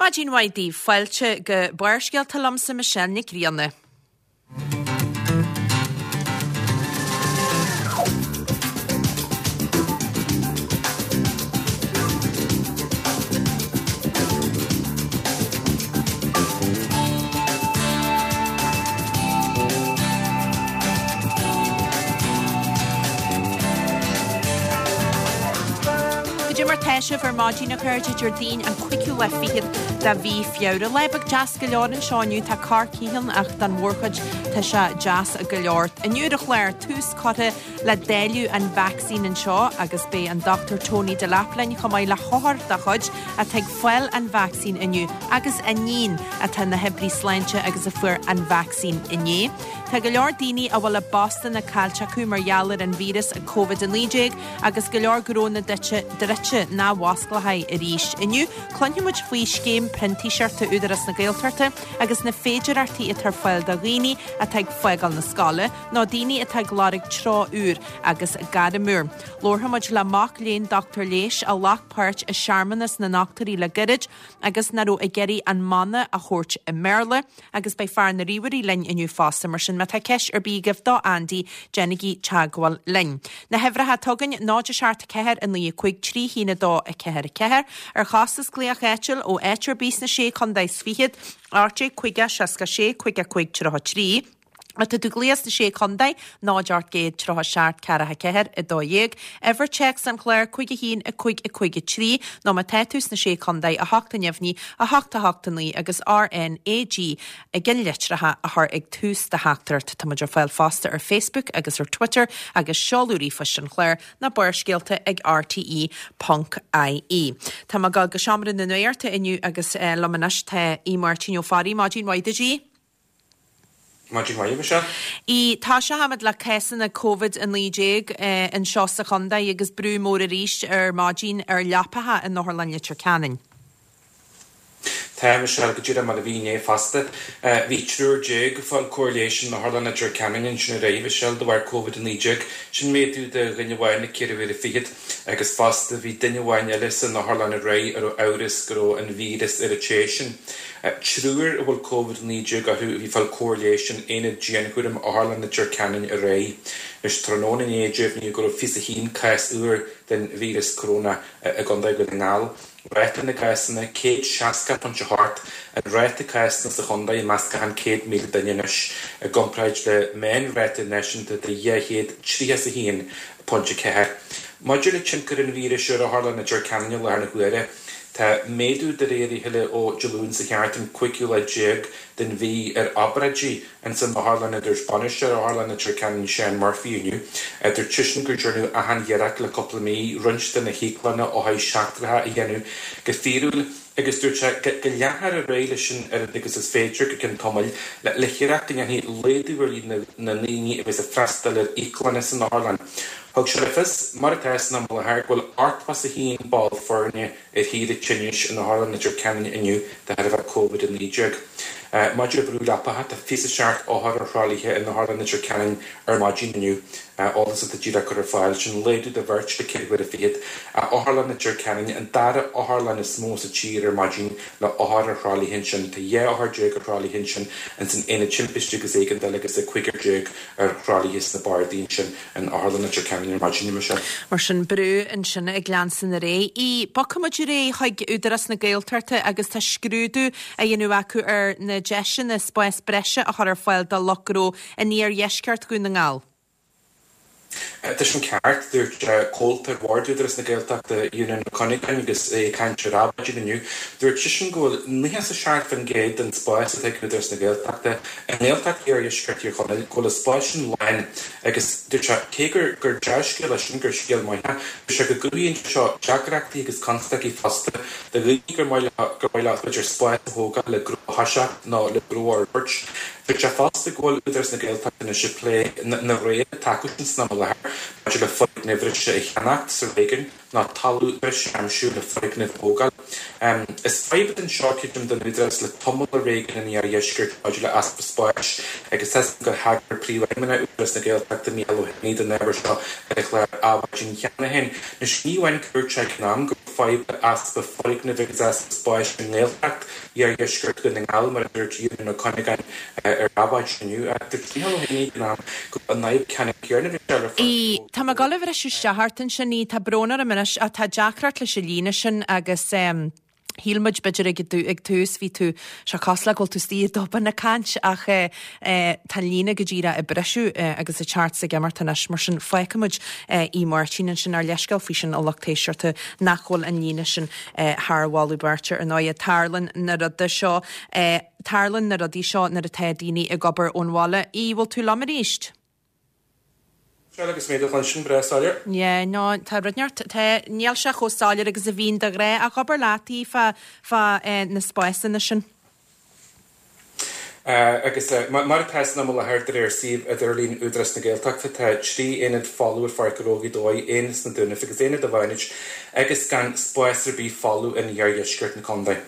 Maidin mhaith daoibh, fáilte go Barrscéalta liomsa Michelle Nic Grianna. Goidé mar tá sibh ar maidin a chairde, Déardaoin an cúigiú lá fichead de mhí Feabhra. Lá beag deas go leor anseo inniu, tá corrchith ann ach don mhórchuid tá sé deas go leor. Inniu ar an chlár, tús curtha le dáileadh an vacsaín anseo agus beidh an Dr Tony Delap linn chomh maith le hothar dá chuid atá ag fáil an vacsaín inniu agus a níon atá ina hoibrí sláinte agus a fuair an vacsaín inné. Tá go leor daoine a bhfuil a bpostanna caillte acu mar gheall ar an víreas Covid-19 agus go leor gnónna druidte nach bhfosclóidh arís. Inniu, cluinfidh muid faoi scéim printíseachta Údarás na Gaeltachta agus na féidearthachtaí atá ar fáil do dhaoine atá ag fágáil na scoile nó daoine atá ag lorg treo úr agus gairm úr. Labharfaidh muid le mac léinn dochtúir leighis a ghlac páirt i searmanas na ndochtúirí le gairid agus nach raibh ag iarraidh an mana a thabhairt i mBéarla agus beidh fear na ríomhairí linn inniu fosta, mar sin má tá ceist ar bith agaibh do Andy, déanaigí teagmháil linn. Na huimhreacha atá againn, 0 7 4 9 5 3 1 2 4 4, ar chostas glaoch áitiúil ó áit ar bith sna Sé Chontae is Fichead, 18 50 66 55 33. Má tá tú ag glaoch sna Sé Chontae, 0 800 37 4 4 12, uimhir téacs an chláir 5 1 5 5 3, nó má tá tú sna Sé Chontae, 8 neamhní, 8 8 9 agus RNAG ag an litreacha a chur ag tús do theachtaireacht. Tá muid ar fáil fosta ar Facebook agus ar Twitter agus seoladh ríomhphoist an chláir ná Barrscéalta ag rte ponc ie. Tá mé ag dul go Seomra na Nuachta inniu agus liom anois tá Aodh Máirtín Ó Fearraigh. Maidin mhaith duit, Aodh. Maidin mhaith, Michelle. Aodh, Toiseochaimid le cásanna Covid-19 anseo sa chontae agus brú mór arís ar maidin ar leapacha in Otharlann Leitir Ceanainn. Tá, Michelle, go díreach mar a bhí inné fosta. Bhí triúr déag ag fáil cóir leighis in Otharlann Leitir Ceanainn ansin aréir, Michelle, de bharr Covid-19. Sin méadú de dhuine amháin le ceithre huaire fichead. Agus fosta bhí duine amháin eile san otharlann aréir a raibh amhras go raibh an víreas ar an té sin. Triúr a bhfuil Covid-19 orthu a bhí ag fáil cóir leighis in Aonad Dianchúraim Otharlann Leitir Ceanainn aréir. Anois, tráthnóna inné deimhníodh go raibh 21 cás úr den víreas coróna i gContae Dhún na nGall. Ráta na gcásanna, 160.8 an ráta cásanna sa chontae i measc achan 100,000 duine anois, i gcomparáid le meánráta náisiúnta de 231.4. Maidir le tionchar an víris ar Otharlann Leitir Ceanainn i láthair na huaire, Tá méadú de réir a chéile ó Dé Luain seo chuaigh thart, an cúigiú lá déag den mhí, ar obráidí ins an otharlann a dúirt bainisteoir Otharlann Leitir Ceanainn Seán Murphy inniu. Dúirt seisean gur deineadh achan iarracht le cúpla mí roinnt de na híoclanna othair seachtracha a dhéanamh go fíorúil agus dúirt sé go leanfar ar aghaidh leis sin oiread agus is féidir go ceann tamaill le hiarracht go ndéanfaí laghdú ar líon na ndaoine a bheas ag freastal ar íoclanna san otharlann. Thug sé le fios, mar atá san am i láthair, go bhfuil 81 ball foirne ar shaoire tinnis in Otharlann Leitir Ceanainn inniu de thairbhe Covid-19. Maidir le brú leapacha, tá 27 othar ar thralaithe in Otharlann Leitir Ceanainn ar maidin inniu, eolas atá díreach curtha ar fáil. Sin laghdú de bheirt le ceithre huaire fichead. Otharlann Leitir Ceanainn, an dara otharlann is mó sa tír ar maidin le othair ar thralaithe ansin. Tá 12 othar ar thralaithe ansin ins an Aonad Timpiste agus Éigeandála agus cúigear déag ar thralaithe sna bardaí ansin in Otharlann Leitir Ceanainn ar maidin, Michelle. Mar sin, brú ansin ag leanstan ar aghaidh. Aodh, bogfaidh muid ar aghaidh chuig Údarás na Gaeltachta agus tá scrúdú á dhéanamh acu ar na deiseanna spás breise a chur ar fáil do lucht gnó in iardheisceart Dhún na nGall. Tá sin ceart, dúirt comhalta ar bhord Údarás na Gaeltachta, Eunan Ó Cuinneagáin agus é ag caint ar Adhmhaidin inniu. Dúirt seisean go bhfuil 97% den spás atá ag Údarás na Gaeltachta i nGaeltacht Iardheisceart Thír Chonaill, go bhfuil an spás sin lán agus dúirt sé cé gur gur dea-scéal é sin, gur scéal maith é, dúirt sé go gcruthaíonn sé seo deacrachtaí agus constaicí fosta do dhaoine gur maith leo gur maith leo b'fhéidir spás a thógáil le gnó a thoiseacht nó le gnó a fhorbairt. Dúirt sé fosta go bhfuil Údarás na Gaeltachta anois ag plé na roghanna atá acu sin san am i láthair maidir le foirgnimh bhreise a cheannacht sa réigiún. ná talamh breise a aimsiú le foirgnimh a thógáil. Is fadhb atá anseo, creidim, don Údarás le tamall i réigiún an Iardheiscirt maidir le easpa spáis agus tá 'fhios agam gur thagair Príomhfheidhmeannach Údarás na Gaeltachta, Micheál Ó hÉanaí, don ábhar seo ar an chlár Adhmhaidin cheana féin. Anois, ní amháin gur dúirt sé ag an am go raibh fadhb le easpa foirgneamh agus easpa spáis i nGaeltacht iardheisceart Dhún na nGall, mar a dúirt Eunan Ó Cuinneagáin ar Adhmhaidin inniu, ach dúirt Micheál Ó hÉanaí ag an am go raibh an fhadhb ceannann céanna bhí sé le Í, Tá mé ag dul a bhriseadh isteach ort ansin, í, tá brón orm anois ach tá deacracht leis an líne sin agus eh, shíl muid b'fhéidir ag ag tús bhí tú sé cosúil le go bhfuil tú istigh i dtobar ag caint ach eh, eh, tá an líne go díreach ag briseadh eh, agus ag teacht is ag imeacht anois mar sin fágfaidh muid eh, Aodh Máirtín ansin ár leithscéal faoi sin a lucht éisteachta nach bhfuil an líne sin eh, thar mholadh beirte ar ndóigh tarlaíonn na rudaí seo eh, tarlaíonn na rudaí seo nuair atá daoine ag obair ón bhaile. Aodh, bhfuil tú liom arís? Sea, agus mé do chluinstin breá soiléir. Yeah, no, tá rud inteacht, tá, níl sé chomh soiléir agus a bhíonn de ghnáth, ach abair leat í fá, fá eh, na spásanna sin. Eh, agus eh, mar atá san am i láthair de réir suíomh idirlín Údarás na Gaeltachta, tá 3 aonad folamh ar Pháirc Ghnó Ghaoth Dobhair, aon sna Dúnaibh agus aonad i bhFánaid, agus gan spás ar bith folamh in iardheisceart na contae.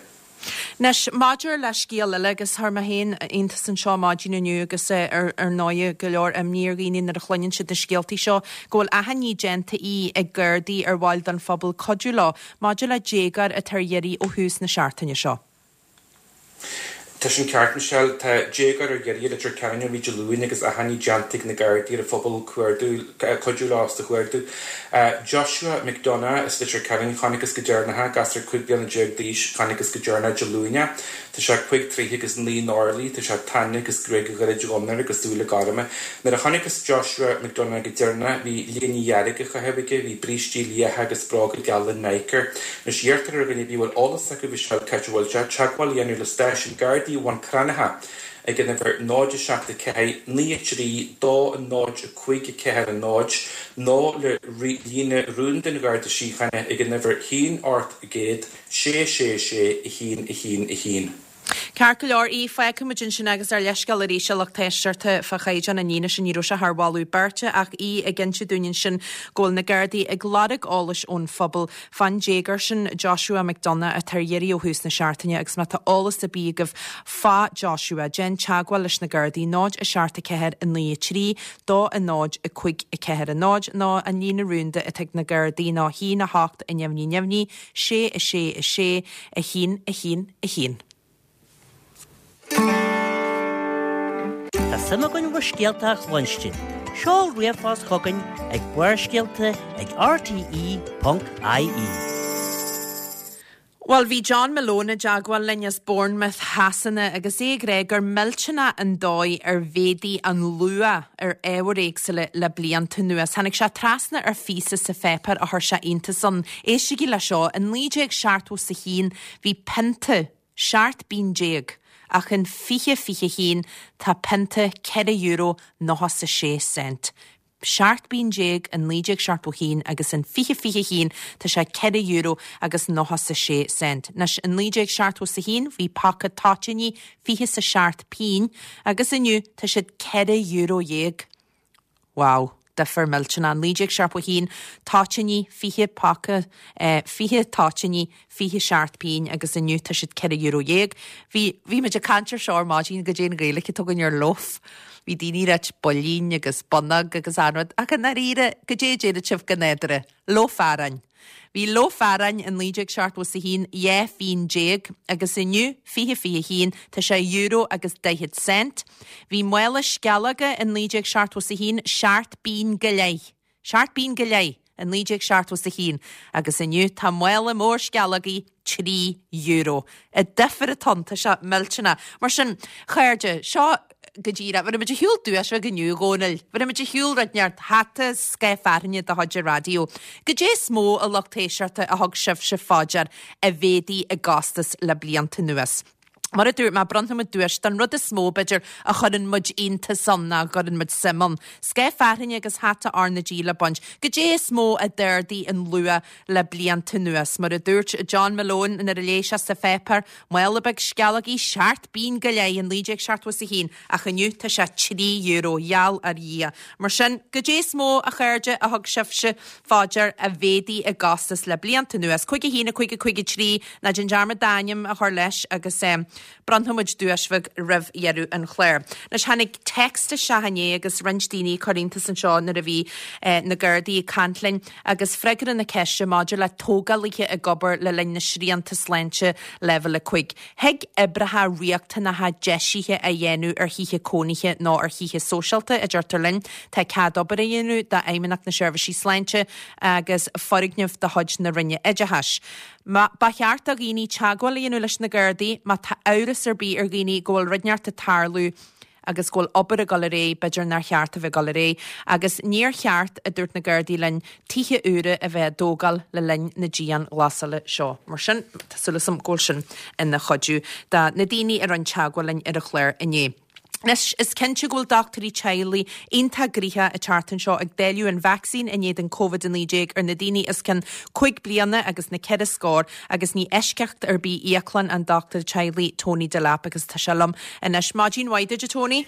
Anois, maidir le scéal eile, agus chuir mé féin iontas anseo maidin inniu agus ar ndóigh go leor imní ar dhaoine nuair a chluineann siad na scéaltaí seo, go bhfuil achainí déanta í ag Gardaí ar bhaill den phobal cuidiú leo maidir le déagóir atá ar iarraidh ó thús na seachtaine seo. Tá sin ceart, Michelle. Tá déagóir ar iarraidh i Leitir Ceanainn ó bhí Dé Luain agus achainí déanta ag na Gardaí ar an phobal cuardú, cuidiú leo sa chuardú. Joshua McDonagh as Leitir Ceanainn, chonacthas go deireanach é, gasúr 15 bliana d'aois, chonacthas go deireanach Dé Luain é. Tá sé 5 troithe agus 9 n-orlaí, tá sé tana agus gruaig ghairid dhonn air agus súile gorma. Nuair a chonacthas Joshua McDonagh go deireanach, bhí léine dhearg á chaitheamh aige, bhí brístí liatha agus bróga geala Nike air. Anois iarrtar ar dhuine ar bith a bhfuil eolas acu Michelle cá háit a bhfuil sé, teagmháil a dhéanamh le stáisiún Gardaí Bhun Cranncha ag an uimhir 0 7 4 9 3 2 0 5 4 0 nó le líne rúnda an Gharda Síochána ag an uimhir 1 800 6 6 6 1 1 1. Ceart go leor, í, fágfaidh muid ansin agus ár leithscéal arís a lucht éisteachta fá chaighdeán an líne sin, ní raibh sé thar mholadh beirte ach í ag inse dúinn ansin go bhfuil na Gardaí ag lorg eolais ón phobal fán déagóir sin, Joshua McDonagh, atá ar iarraidh ó thús na seachtaine agus má tá eolas ar bith agaibh fá Joshua, déan teagmháil leis na Gardaí, 0 7 4 9 3 2 0 5 4 0 nó an líne rúnda atá ag na Gardaí ná 1 8 neamhní neamhní 6 6 6 1 1 1. Tá suim againn bhur scéalta a chluinstin. Seol ríomhphost chugainn ag Barrscéalta ag rte.ie. Bhuel, bhí John Malone i dteagmháil linn as Bournemouth Shasana agus é ag rá gur millteanach an dóigh ar mhéadaigh an luach ar ábhair éagsúla le blianta anuas. Tháinig sé trasna ar phíosa sa pháipéar a chuir sé iontas ann. Éistigí le seo, in 1971 bhí pionta 17 bpingin, ach in 2021 tá pionta €4 96 cent. 17 bpingin in 1971 agus in 2021 tá sé €4 agus 96 cent. Anois, in 1971 bhí paca toitíní 27 pingin agus inniu tá siad €14. Wow, difear millteanach. 1971, toitíní, 20 paca, 20 toitíní, 27 pingin agus inniu tá siad €14. Bhí, bhí muid ag caint ar seo ar maidin, goidé an Ghaeilge atá againn ar loaf. Bhí daoine ag ráit builín agus bonnóg agus achan rud, ach i ndáiríre, goidé a déarfadh sibh go nádúrtha? Loaf aráin. Bhí loaf aráin i 1971 12 phingin agus inniu, 2021, tá sé euro agus 40 cent. Bhí mála sceallóga i 1971 seacht bpingin go leith. Seacht bpingin go leith i 1971 agus inniu tá mála mór sceallógaí €3. An difear atá ann, tá sé millteanach. Mar sin, chairde, seo go díreach, bhí muid ar shiúl duais bheag inniu, a Dhónaill. Bhí muid ar shiúl rud inteacht hata scoth fearthainne de chuid an raidió. Goidé is mó a lucht éisteachta a thug sibhse fá dear a mhéadaigh i gcostas le blianta anuas. Mar a dúirt mé, bronnfaidh muid duais don rud is mó, b'fhéidir, a chuireann muid iontas ann, ná a gcuireann muid suim ann. Scáth fearthainne agus hata R na G le baint. Goidé is mó a d'ardaigh an luach le blianta anuas? Mar a dúirt John Malone nuair a léigh sé sa pháipéar, mála beag sceallógaí seacht bpingin go leith in 1971, ach inniu tá sé €3, gheall ar Dhia. Mar sin, goidé is mó, a chairde, a thug sibhse fá dear a mhéadaigh i gcostas le blianta anuas? 5 1 5 5 3, Ná déan dearmad d'ainm a chur leis agus bronnfaidh muid duais bheag roimh dheireadh an chláir. Anois tháinig text isteach inné agus roinnt daoine ag cur iontas anseo nuair a bhí na Gardaí ag caint linn agus freagra na ceiste maidir le tógálaithe ag obair le linn na srianta sláinte leibhéal 5. Thig oibreacha riachtanacha deisithe a dhéanamh ar thithe cónaithe nó ar thithe sóisialta, a deirtear linn. Tá cead obair a dhéanamh d'Fheidhmeannacht na Seirbhísí Sláinte agus foirgnimh de chuid na Roinne Oideachais. Ba cheart do dhaoine teagmháil a dhéanamh leis na Gardaí má tá amhras ar bith ar dhaoine go bhfuil rud inteacht ag tarlú agus go bhfuil obair ag dul ar aghaidh, b'fhéidir nár cheart a bheith ag dul ar aghaidh. Agus níor cheart, a dúirt na Gardaí linn, tithe úra a bheith á dtógáil le linn na dianghlasála seo. Mar sin, tá súil agam go bhfuil sin ina chuidiú do na daoine a rinne teagmháil linn ar an chlár inné. Anois, is cinnte go bhfuil dochtúirí teaghlaigh iontach gnoitheach an tseachtain seo ag dáileadh an vacsaín in éadan Covid-19 ar na daoine os cionn 5 bliana agus na ceithre scór agus ní eisceacht ar bith íoclann an dochtúir teaghlaigh Tony Delap agus tá sé liom anois. Maidin mhaith duit, a Tony.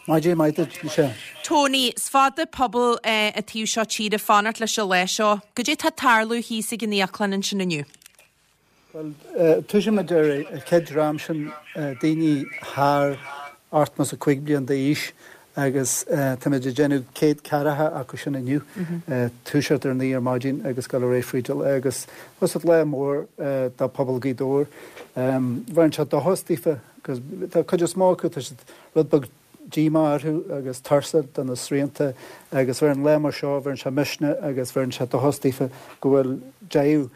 Maidin mhaith duit, Michelle. Tony, is fada pobal an taobh seo tíre ag fanacht leis an lá seo. Goidé tá ag tarlú thíos ag an íoclann ansin inniu? Bhuel, tosaímid ar an chéad dream sin, daoine thar 85 bliain d'aois agus táimid ag déanamh 100 ceathracha acu sin inniu, toiseacht ar 9 ar maidin agus dul ar aghaidh fríd an lá agus tá sé lá mór do phobal Ghaoth Dobhair. Bheireann sé dóchas daofa agus tá cuid is mó acu, tá siad rud beag díomá orthu agus tuirseach de na srianta agus bheireann lá mar seo, bheireann sé misneach agus bheireann sé dóchas daofa go bhfuil deireadh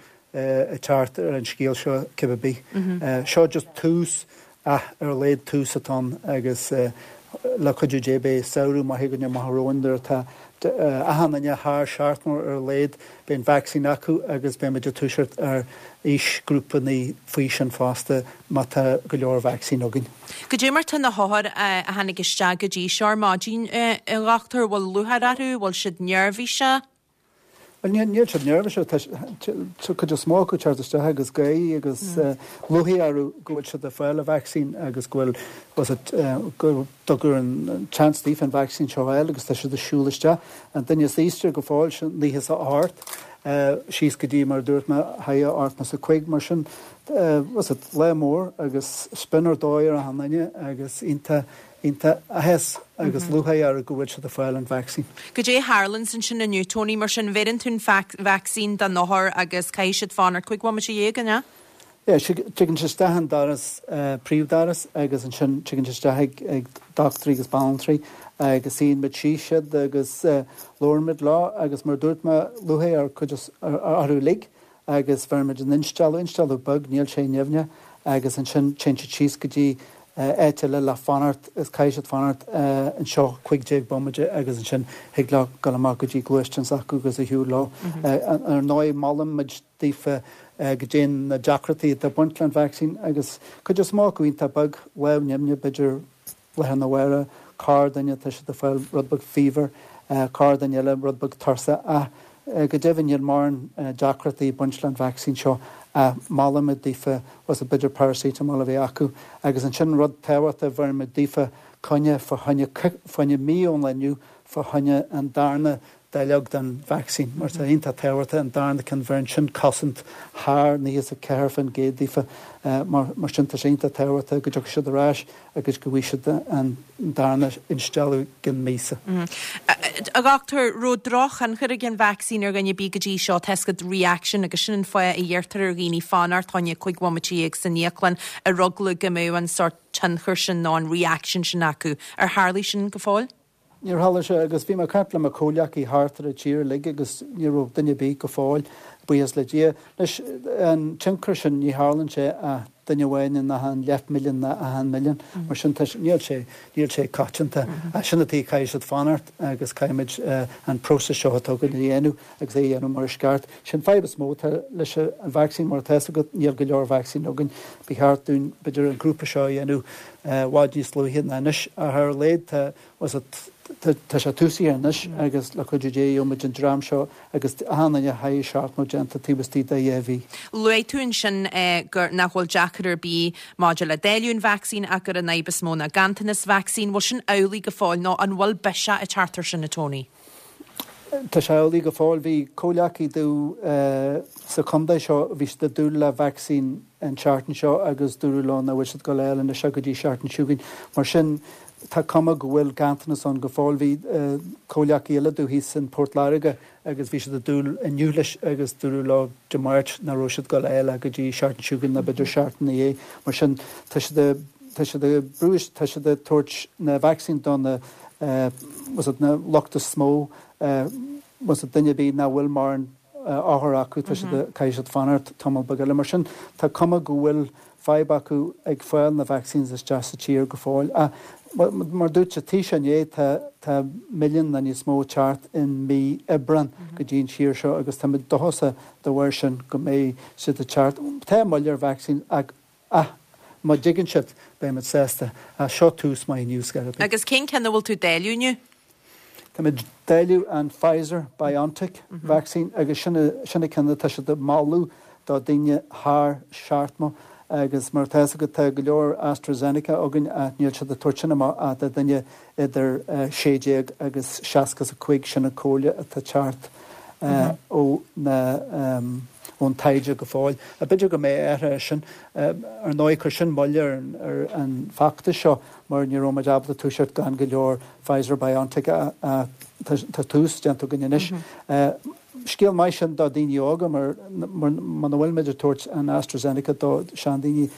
ag teacht ar an scéal seo cibé ar bith. Seo just tús, ach ar a laghad tús atá ann agus le cuidiú Dé beidh samhradh maith againn amach romhainn nuair atá achan duine thar 70 ar a laghad, beidh an vacsaín acu agus beidh muid ag toiseacht ar aoisghrúpanna faoi sin fosta má tá go leor vacsaín againn. Goidé mar tá na hothair a tháinig isteach go dtí seo ar maidin, a dhochtúir, bhfuil lúcháir orthu, bhfuil siad neirbhíseach? Bhuel, níl siad neirbhíseach. Tá cuid is mó acu ag teacht isteach agus gáirí agus lúcháir orthu go bhfuil siad ag fáil an vacsaín agus go bhfuil, was it, go dtugadh an chance daofa an vacsaín seo a fháil agus tá siad ag siúl isteach. An duine is aosta go fóill, sin 98, síos go dtí, mar a dúirt mé, thar 85, mar sin, was it, lá mór agus spion ar dóigh ar achan duine agus iontach iontach áthas agus lúcháir orthu go bhfuil siad ag fáil an vacsaín. Goidé a tharlaíonns ansin inniu, Tony, mar sin, bheireann tú an vacsaín don othar agus caithfidh siad fanacht 15 bhomaite, an ea? Yeah, tigeann siad isteach an doras, príomhdhoras agus ansin tigeann siad isteach ag dochtúirí agus banaltraí agus suíonn muid síos siad agus labhrann muid leo agus mar a dúirt mé, lúcháir ar cuid orthu uilig agus bheireann muid an instealladh, instealladh beag, níl sé nimhneach, agus ansin téann siad síos go dtí áit eile le fanacht is caithfidh siad fanacht anseo 15 bomaite agus ansin thig leo dul amach go dtí gluaisteán s'acu agus a shiúl leo. Ar ndóigh, molann muid daofa goidé na deacrachtaí atá ag baint le an vacsaín agus cuid is mó acu iontach beag, lámh nimhneach b'fhéidir, lá arna mhárach, corrdhuine, tá siad ag fáil rud beag fever, corrdhuine eile rud beag tuirseach ach go deimhin níl mórán deacrachtaí ag baint le an vacsaín seo ach molaimid daofa was it b'fhéidir paracetamol a bheith acu agus ansin rud tábhachtach bheirimid daofa coinne fá choinne fá choinne mí ón lá inniu fá choinne an darna dáileog den vacsaín mar tá iontach tábhachtach an darna ceann bheireann sin cosaint thar 94% daofa mar sin tá sé iontach tábhachtach go dtiocfaidh siad ar ais agus go bhfaighidh siad an darna instealladh i gcionn míosa. A dhochtúir, raibh drochthionchar ag an vacsaín ar dhuine ar bith go dtí seo, tá a fhios agat reaction agus sin an fáth a iarrtar ar dhaoine fanacht fá choinne 15 bhomaite san íoclann ar eagla go mbeadh an sórt tionchar sin nó an reaction sin acu. Ar tharlaigh sin go fóill? Níor tharla sé agus bhí mé ag caint le mo chomhleacaí thart ar an tír uilig agus ní raibh duine ar bith go fóill, buíochas le Dia. Anois, an tionchar sin, ní tharlaíonn sé ach. duine amháin in achan leathmhilliún ná achan milliún. Mar sin, tá, níl sé, níl sé coitianta. Ach sin an tuige caithfidh siad fanacht agus caithfimid an próiseas seo atá againn a dhéanamh agus é a dhéanamh mar is ceart. Sin fadhb is mó atá leis an vacsaín mar atá fhios agat, níl go leor vacsaín againn. Ba cheart dúinn, b'fhéidir, an grúpa seo a dhéanamh i bhfad níos luaithe ná anois. Ach ar a laghad tá, tá sé túsaithe anois agus le cuidiú Dé gheobhaimid an dream seo agus achan duine thar 70 déanta taobh istigh de dhá mhí. Luaigh tú ansin gur nach bhfuil deacair ar bith maidir le dáileadh an vacsaín ach gur an fhadhb is mó ná ganntanas vacsaín. Bhfuil sin amhlaidh go fóill nó an bhfuil biseach ag teacht ar sin, a Tony? Tá sé amhlaidh go fóill. Bhí comhleacaí domh sa chontae seo, bhí siad ag dúil le vacsaín an tseachtain seo agus dúradh leo nach bhfuil siad ag dul a fháil anois go dtí seachtain seo chugainn. Mar sin, tá cuma go bhfuil ganntanas ann go fóill. Bhí comhleacaí eile domh thíos in Port Láirge agus bhí siad ag dúil inniu leis agus dúradh leo Dé Máirt nach raibh siad ag dul a fháil go dtí seachtain seo chugainn nó b'fhéidir seachtain ina dhiaidh. Mar sin, tá siad ag, tá siad ag brú, tá siad ag tabhairt na vacsaín do na, was it na lucht is mó, was it duine ar bith nach bhfuil mórán othar acu, tá siad ag, caithfidh siad fanacht tamall beag eile. Mar sin, tá cuma go bhfuil fadhb acu ag fáil na vaccines isteach sa tír go fóill. Ach mar dúirt an Taoiseach inné, tá tá milliún nó níos mó ag teacht in mí Aibreán go dtí an tír seo agus táimid dóchasach dá bharr sin go mbeidh siad ag teacht. Tá moill ar vacsaín ach ach má dtigeann siad beimid sásta. Ach seo tús maith inniu, scor ar bith. Agus cén ceann a bhfuil tú ag dáileadh inniu? Táimid ag dáileadh an Pfizer BioNTech vaccine agus sin sin an ceann atá siad ag moladh do daoine thar 70 agus mar atá fhios agat tá go leor AstraZeneca againn ach níl siad ag tabhairt sin amach ach do duine idir 16 agus 65 sin an comhairle atá ag teacht ó na ón taighde go fóill. B'fhéidir go mbeidh athrú air sin. Ar ndóigh chuir sin moill ar an bhfeachtas seo mar ní raibh muid ábalta toiseacht gan go leor Pfizer BioNTech tá tús déanta againn anois. Scéal maith sin do daoine óga mar muna bhfuil muid ag tabhairt an AstraZeneca do seandaoine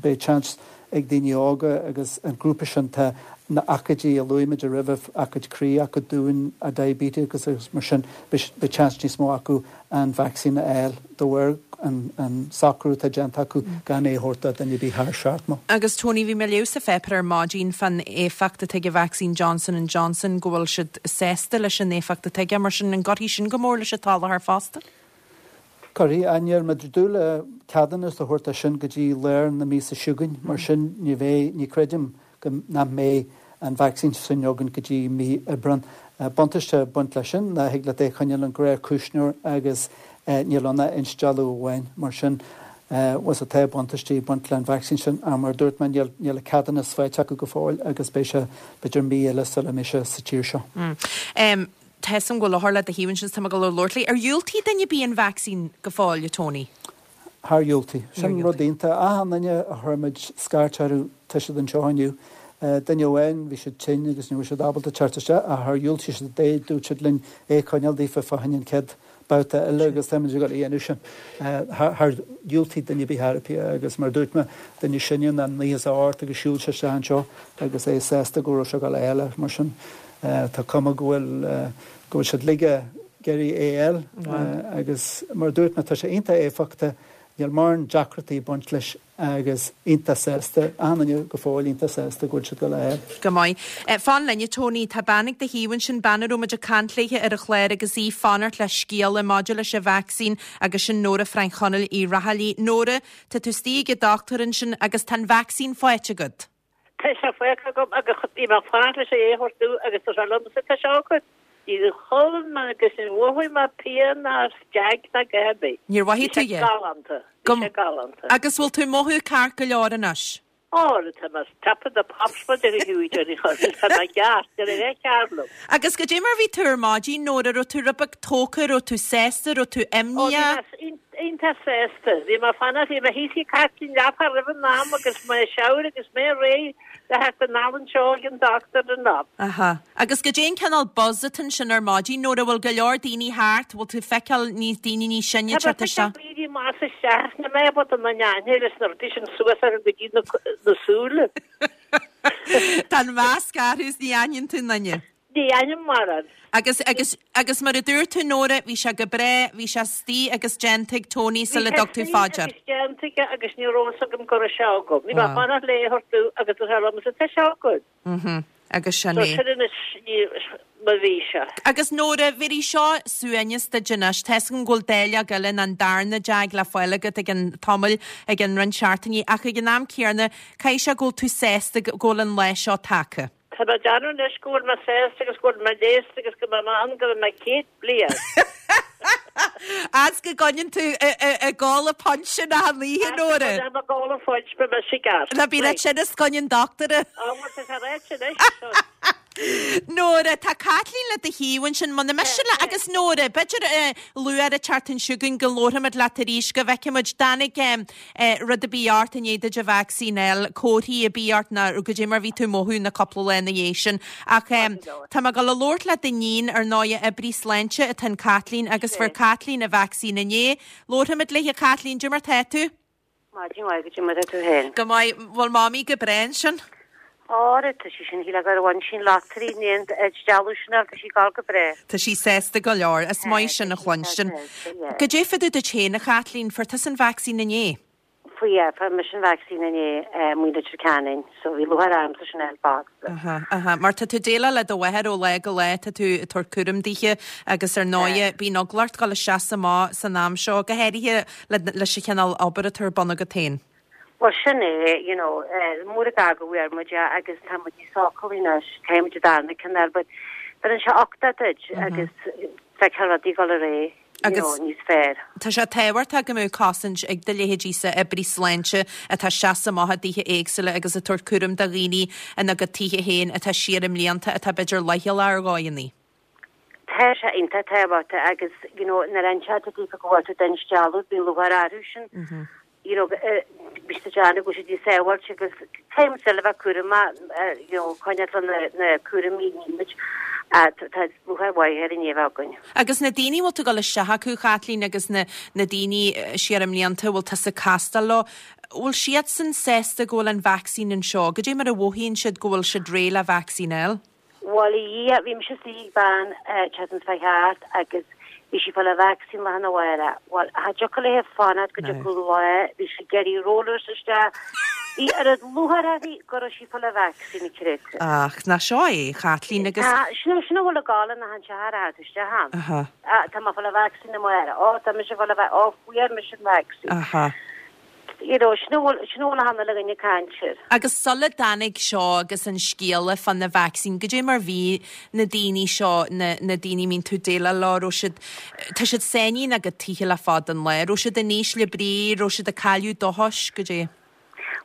beidh seans ag daoine óga agus an grúpa sin tá na aicmidí a luaigh muid roimhe, aicmid croí, aicmid dúin, diabetes agus mar sin beidh seans níos mó acu an vacsaín a fháil de bharr an socrú atá déanta acu gan é a thabhairt do dhuine ar bith thar 70. Agus Tony, bhí mé ag léamh sa pháipéar ar maidin fán éifeacht atá ag an vacsaín Johnson and Johnson, go bhfuil siad sásta leis an éifeacht atá aige, mar sin an gcuirfidh sin go mór leis an tsoláthar fosta? Cuirfidh, ach níl muid ag dúil le ceadúnas a thabhairt dó sin go dtí lár na míosa seo chugainn, mar sin ní bheidh, ní creidim go nach mbeidh an vacsaín sin againn go dtí mí Aibreán. Buntáiste ag baint leis sin ná thig leat é a choinneáil i ngnáthchuisneoir agus níl ann ach instealladh amháin. Mar sin, bhuel tá buntáistí ag baint le an vacsaín sin ach mar a dúirt mé níl níl an ceadúnas faighte acu go fóill agus beidh sé b'fhéidir mí eile sula mbeidh sé sa tír seo. Tá 'fhios a'm go bhfuil othar le do thaobh ansin is tá mé ag dul a labhairt léi. Ar dhiúltaigh duine ar bith an vacsaín go fóill, a Tony? Char dhiúltaigh. Sin rud iontach. Achan duine a chuir muid scairt orthu, tá siad anseo inniu. Duine amháin, bhí siad tinn agus ní raibh siad ábalta teacht isteach ach char dhiúltaigh siad é. Dúirt siad linn é a choinneáil daofa fá choinne an chéad babhta eile agus táimid ag dul a dhéanamh sin. Char dhiúltaigh duine ar bith ar bith agus mar a dúirt mé, duine sine ná 98 agus shiúil sé isteach anseo agus é sásta go raibh sé ag dul a fháil é. Mar sin, tá cuma go bhfuil, go bhfuil siad uilig ag iarraidh é a fháil agus mar a dúirt mé tá sé iontach éifeachtach, níl mórán deacrachtaí ag baint leis agus iontach sásta, achan duine go fóill iontach sásta go bhfuil siad ag dul a fháil. Go maith. Fan linn a Tony, tá bean ag do thaobh ansin, bean a raibh muid ag caint léithe ar an chlár agus í ag fanacht le scéala maidir leis an vacsaín agus sin Nóra Frainc Chonaill Uí Raghallaigh. Nóra, tá tú istigh ag an dochtúir ansin agus tá an vacsaín faighte agat. Tá sé faighte agam agus bhí mé ag fanacht leis é a thabhairt domh agus tá sé liomsa, tá sé agat. Níor chodlaigh mé agus níor mhothaigh mé pian ná jeaic ná a dhath ar bith. Níor mhothaigh tú a dhath? Bhí sé galánta. Bhí sé galánta. Agus bhfuil tú ag mothú ceart go leor anois? Ó, tá mé top of the pops mar a déarfá, tá mé ceart, níl a dhath cearr liom. Agus goidé mar bhí tú ar maidin, Nóra, raibh tú rud beag tógtha, raibh tú sásta, raibh tú imníoch? Ó, bhí mé iontach sásta. Bhí mé ag fanacht, bhí mé thíos ag Cartlann leathuair roimh an am agus mé ag shower agus mé réidh le theacht anall anseo ag an dochtúir an am. Aha. Agus goidé an cineál buzz atá ansin ar maidin, Nóra, bhfuil go leor daoine thart, bhfuil tú ag feiceáil níos daoine níos sine ag teacht isteach? Tá mé ag feiceáil daoine ag másadh isteach, níl mé ábalta na n-aithne leis na rudaí sin suas orthu go dtí na súile. Tá an masc orthu is ní aithníonn tú aon duine. Ní aithním mórán. Agus, agus, agus mar a dúirt tú Nóra, bhí sé go breá, bhí sé istigh agus déanta ag Tony sula dtug tú fá dear. Bhí sé istigh agus déanta aige agus ní raibh fhios agam go raibh sé agam. Bhí mé ag fanacht le é a thabhairt domh agus dúirt sé liomsa, tá sé agat. Mhm. Agus sin So é. sin anois ní, mar bhí sé. Agus Nóra, bhéarfaidh seo suaimhneas duit anois. Tá 'fhios agam go bhfuil dáileog eile nó an darna jab le fáil agat i gcionn tamaill, i gcionn roinnt seachtainí, ach ag an am céanna, caithfidh sé go bhfuil tú sásta go bhfuil an lá seo tagtha. Tá mé ag déanamh anois go bhfuil mé sásta agus go bhfuil mé leigheasta agus go mbeidh mé ann go mbeidh mé 100 bliain. As go gcoinníonn tú ag ól an punch sin achan oíche, Nóra. Tá mé ag ól an punch, beidh mé sigear. Ná bí leat sin is coinníonn dochtúir. Á, bhuel, tá sé ráite anois. Nóra, tá Caitlín le do thaobh ansin, muna miste leat, agus Nóra, b'fhéidir luath ar an tseachtain seo chugainn go labharfaimid leat arís, go bhfeicfimid, dtáinig rud ar bith ort i ndiaidh duit an vacsaín a fháil, comharthaí ar bith ort nó goidé mar bhí tú ag mothú na cúpla lá ina dhiaidh sin. Ach tá mé ag dul a labhairt le d'iníon, ar ndóighe, oibrí sláinte atá in Caitlín agus fuair Caitlín an vacsaín inné. Labharfaimid léi. A Chaitlín, goidé mar tá tú? Maidin mhaith, goidé mar tá tú féin? Go maith. Bhfuil Mamaí go breá ansin? Ara, tá sí sin, shílfeá gur bhain sí an lottery in aon dealú sin air, tá sí ag gabháil go breá. Tá sí sásta go leor, is maith sin a chluinstin. Goidé fá dtaobh duit féin, a Chaitlín, fuair tusa an vacsaín inné? Fuair, yeah, fuair mise an vacsaín inné, amuigh i Leitir Ceanainn, so bhí lúcháir ormsa sin a fháil fosta. Aha, aha, mar tá tú ag déileáil le do mháthair ó lá go lá, tá tú ag tabhairt cúram dithe agus ar ndóighe bíonn eagla ort dul isteach is amach san am seo, go háirithe leis an chineál obair atá ar bun agat féin. Bhuel, sin é, you know, mór an gar go bhfuair muid é agus tá muid níos sócúlaí anois, caithfidh muid an darna ceann a fháil, but bheireann sé uchtach duit agus feicfeá rudaí ag dul ar aghaidh, you know, níos fearr. Tá sé tábhachtach go mbeadh cosaint ag do leithéidíse oibrí sláinte atá isteach is amach i dtithe éagsúla agus ag tabhairt cúram do dhaoine ina gcuid tithe féin atá siar i mblianta atá b'fhéidir leithchealach ar dhóigheanna. Tá sé iontach tábhachtach agus, you know, nuair a inseoidh tú daofa go bhfuil tú den stealladh, bíonn lúcháir orthu sin. You know, bhí siad ag déanamh go bhfuil siad níos sábháilte agus caithfidh muid still a bheith cúramach, you know, coinneáil le na cúraimí a ní muid. Tá lúcháir mhaith ar an ní a bheith againn. Agus na daoine a bhfuil tú ag dul isteach acu, Chaitlín, agus na na daoine siar i mblianta a bhfuil tusa ag castáil leo, bhfuil siadsan sásta go bhfuil an vacsaín anseo? Goidé mar a mhothaíonn siad go bhfuil siad réidh le vacsaín a fháil? Bhuel, a Dhia, bhí mise istigh ag bean an tseachtain seo chuaigh thart agus bhí sí ag fáil an vacsaín lá arna mhárach. Bhuel, cha dtiocfadh léi fanacht go dtiocfadh lá, bhí sí ag iarraidh rollers isteach. Bhí oiread lúcháir uirthi go raibh sí ag fáil an vacsaín, creid. Ach nach seo é, a Chaitlín, agus. Tá, sin é, sin a bhfuil ag gabháil in achan teach ar fad isteach ann. Aha. Tá mé ag fáil an vacsaín amárach. Ó, tá mise ag fáil an vac, ó, fuair mise an vacsaín. Aha. You know, sin a bhfuil, sin a bhfuil achan uile dhuine ag caint air. Agus sula dtáinig seo agus an scéala fá na vacsaín, goidé mar bhí na daoine seo, na, na daoine a mbíonn tú ag déileáil leo, raibh siad, tá siad sáinnithe ina gcuid tithe le fada an lá, raibh siad in ísle brí, raibh siad ag cailleadh dóchais, goidé?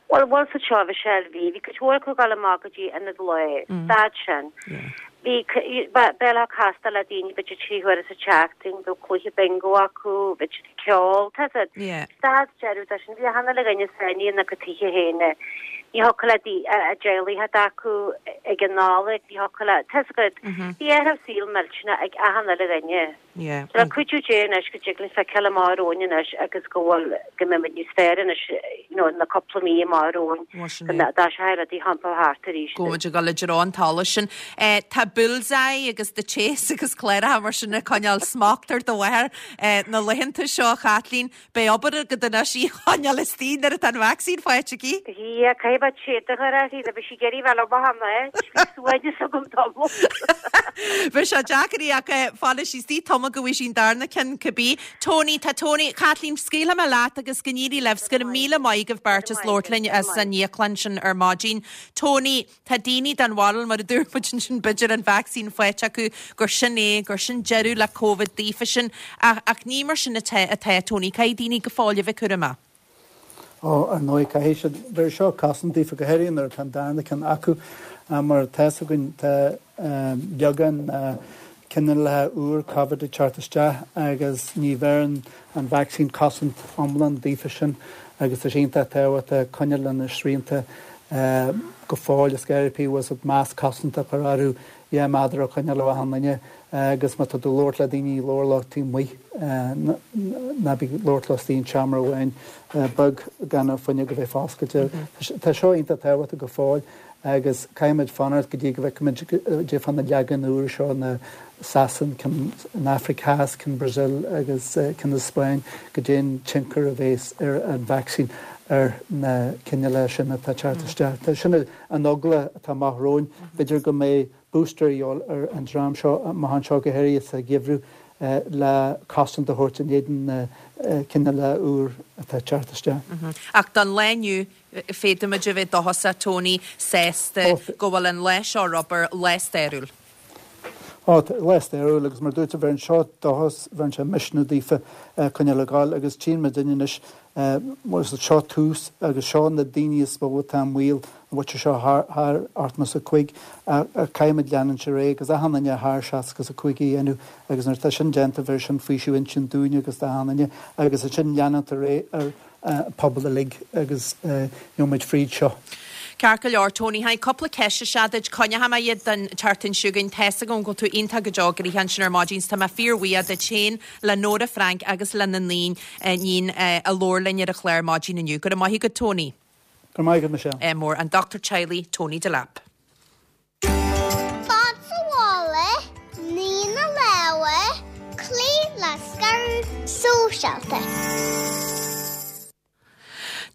Bhuel, bhuel, sa seo, Michelle, bhí, bhí cuid mhór acu ag dul amach go dtí ionad lae, stad sin. Bhí, bheadh ag castáil le daoine b'fhéidir 3 huaire sa tseachtain, bheadh cluiche bingo acu, bheadh siad ag ceol, tá 'fhios a'd. Stad deireadh de sin, bhí achan uile dhuine sáinnithe ina gcuid tithe féin. Ní thiocfadh le a dteaghlaigh a theacht acu ag an Nollaig, ní thiocfadh le, tá 'fhios agat, bhí athrú saoil millteanach ag achan uile dhuine. Le cuidiú Dé anois go dtig linn feiceáil amach romhainn anois agus go bhfuil, go mbeimid níos fearr anois, you know, na cúpla mí amach romhainn, go dtoiseoidh rudaí a thiompú thart arís. Go bhfuil muid ag dul i dtreo an tsolais sin. Tá Bullseye agus The Chase agus cláracha mar sin ag coinneáil smacht ar do mháthair na laethanta seo, a Chaitlín. Beidh obair agat anois í a choinneáil istigh nuair atá an vacsaín faighte aici. Yeah, caithfidh mé téad a chur uirthi, nó beidh sí ag iarraidh bheith liom achan áit, bhí suaimhneas agam tamall. Beidh sé deacair í ach fanfaidh sí istigh tamall go bhfaighidh sí an darna ceann cibé. Tony, tá Tony, Chaitlín, scaoilfidh mé leat agus go n-éirí libh, go raibh míle maith agaibh beirt as labhairt linn as an íoclann sin ar maidin. Tony, Tá daoine den bharúil, mar a dúirt muid ansin, b'fhéidir an vacsaín faighte acu, gur sin é, gur sin deireadh le Covid daofa sin. Ach, ach ní mar sin atá, atá, Tony. Caithfidh daoine go fóill a bheith cúramach. Ó, ar ndóigh, caithfidh siad. Bheir seo cosaint daofa, go háirithe nuair atá an darna ceann acu. Mar tá 'fhios againn, tá beagán cineálacha úr Covid ag teacht isteach agus ní bheireann an vacsaín cosaint iomlán daofa sin agus tá sé iontach tábhachtach coinneáil le na srianta go fóill is go háirithe bhfuil 'fhios a'd masc cosanta a chur orthu, 2 méadar a choinneáil ó achan duine agus má tá tú ag labhairt le daoine labhair leo taobh amuigh, ná bí ag labhairt leo istigh in seomra amháin beag gan an fuinneog a bheith foscailte. Tá seo iontach tábhachtach go fóill. Agus caithfimid fanacht go dtí go bhfeicfimid goidé fá na leagan úr seo na Sasain, ceann an Afraic Theas, ceann Brazil agus ceann na Spáinn, goidé an tionchar a bhéas ar an vacsaín ar na cineálacha sin atá ag teacht isteach. Sin an eagla atá amach romhainn. B'fhéidir go mbeidh booster a dhíobháil ar an dream seo amach anseo, go háirithe sa gheimhreadh, le cosaint a thabhairt in éadan na cineálacha úr atá ag teacht isteach. Ach don lá inniu, féadfaimid a bheith dóchasach, Tony, sásta go bhfuil an lá seo ar obair, lá stairiúil. Ó, lá stairiúil agus mar a dúirt tú, bheireann seo dóchas, bheireann sé misniú daofa coinneáil ag gabháil agus tchíonn muidinne anois, mar seo tús agus seo na daoine is mó atá i mbaol, an mhuintir seo thar 85, ach caithfimid leanúint ar aghaidh agus achan duine thar 65 a dhéanamh agus nuair atá sin déanta bheir sin faoiseamh intinn dúinne agus d'achan duine agus ansin leanúint ar aghaidh ar pobal uilig agus gheobhaidh muid fríd seo. Ceart go leor, Tony, tháinig cúpla ceist isteach duit, coinneoidh mé iad don tseachtain seo chugainn. Tá's agam go bhfuil tú iontach go deo gnoitheach ansin ar maidin 's tá mé fíor-bhuíoch duit féin, le Nóra Frainc agus lena n-iníon a labhair linn ar an chlár maidin inniu. Go raibh maith agat, Tony. Go raibh maith agat, Michelle. Ádh mór. An Dochtúir Teaghlaigh, Tony Delap. Fad sa mhála, nigh na lámha, cloí le scaradh sóisialta.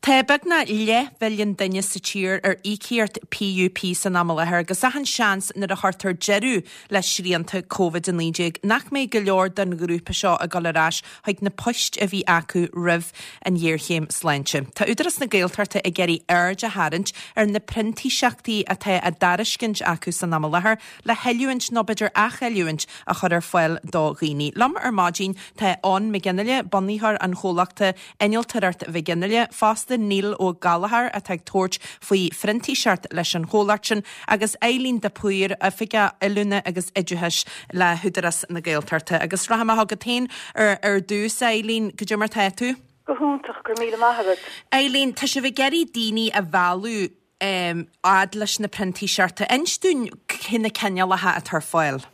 Tá beagnach leathmhilliún duine sa tír ar íocaíocht PUP san am i láthair agus achan seans nuair a chuirtear deireadh le srianta Covid-19 nach mbeidh go leor den ghrúpa seo ag dul ar ais chuig na poist a bhí acu roimh an ghéarchéim sláinte. Tá Údarás na Gaeltachta ag iarraidh aird a tharraingt ar na printíseachtaí atá á dtairiscint acu san am i láthair le hoiliúint nó b'fhéidir athoiliúint a chur ar fáil do dhaoine. Liom ar maidin tá Eoin McGinley, bunaitheoir an chomhlachta Innealtóireacht McGinley, fosta Neil Ó Gallchóir atá ag tabhairt faoi phrintíseacht leis an chomhlacht sin agus Eileen de Paor, Oifigeach Oiliúna agus Oideachais le hÚdarás na Gaeltachta. Agus rachaidh mé chugat féin ar dtús, Eileen, cad é mar tá tú? Go hiontach, go raibh míle maith agat. Eileen, tá sibh ag iarraidh daoine a mhealladh fhad leis na printíseachtaí. Inis dúinn cé na cineálacha atá ar fáil.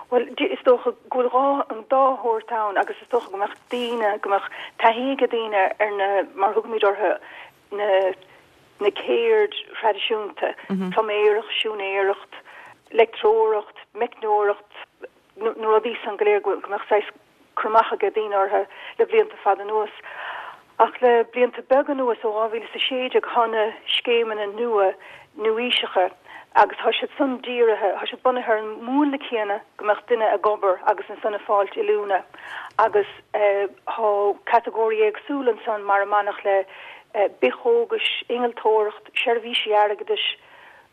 Bhuel, is dócha go bhfuil dhá, an dá shórt ann agus is dócha go mbeadh daoine, go mbeadh taithí ag daoine ar na, mar a thugaimid orthu, na, na ceird thraidisiúnta, pluiméireacht, siúinéireacht, leictreoireacht, meicneoireacht, na rudaí san go léir go mbeadh saghas cur amach ag daoine orthu le blianta fada anuas. Ach le blianta beaga anuas, ó 2016, thá na scéimeanna nua, nua-aoiseacha, agus thá siad san dírithe, thá siad bunaithe ar an múnla céanna go mbeadh duine ag obair agus ansan ag fáilt oiliúna agus thá catagóirí éagsúla ansan mar a mbainfeadh le bithchógais, innealtóireacht, seirbhísí airgeadais,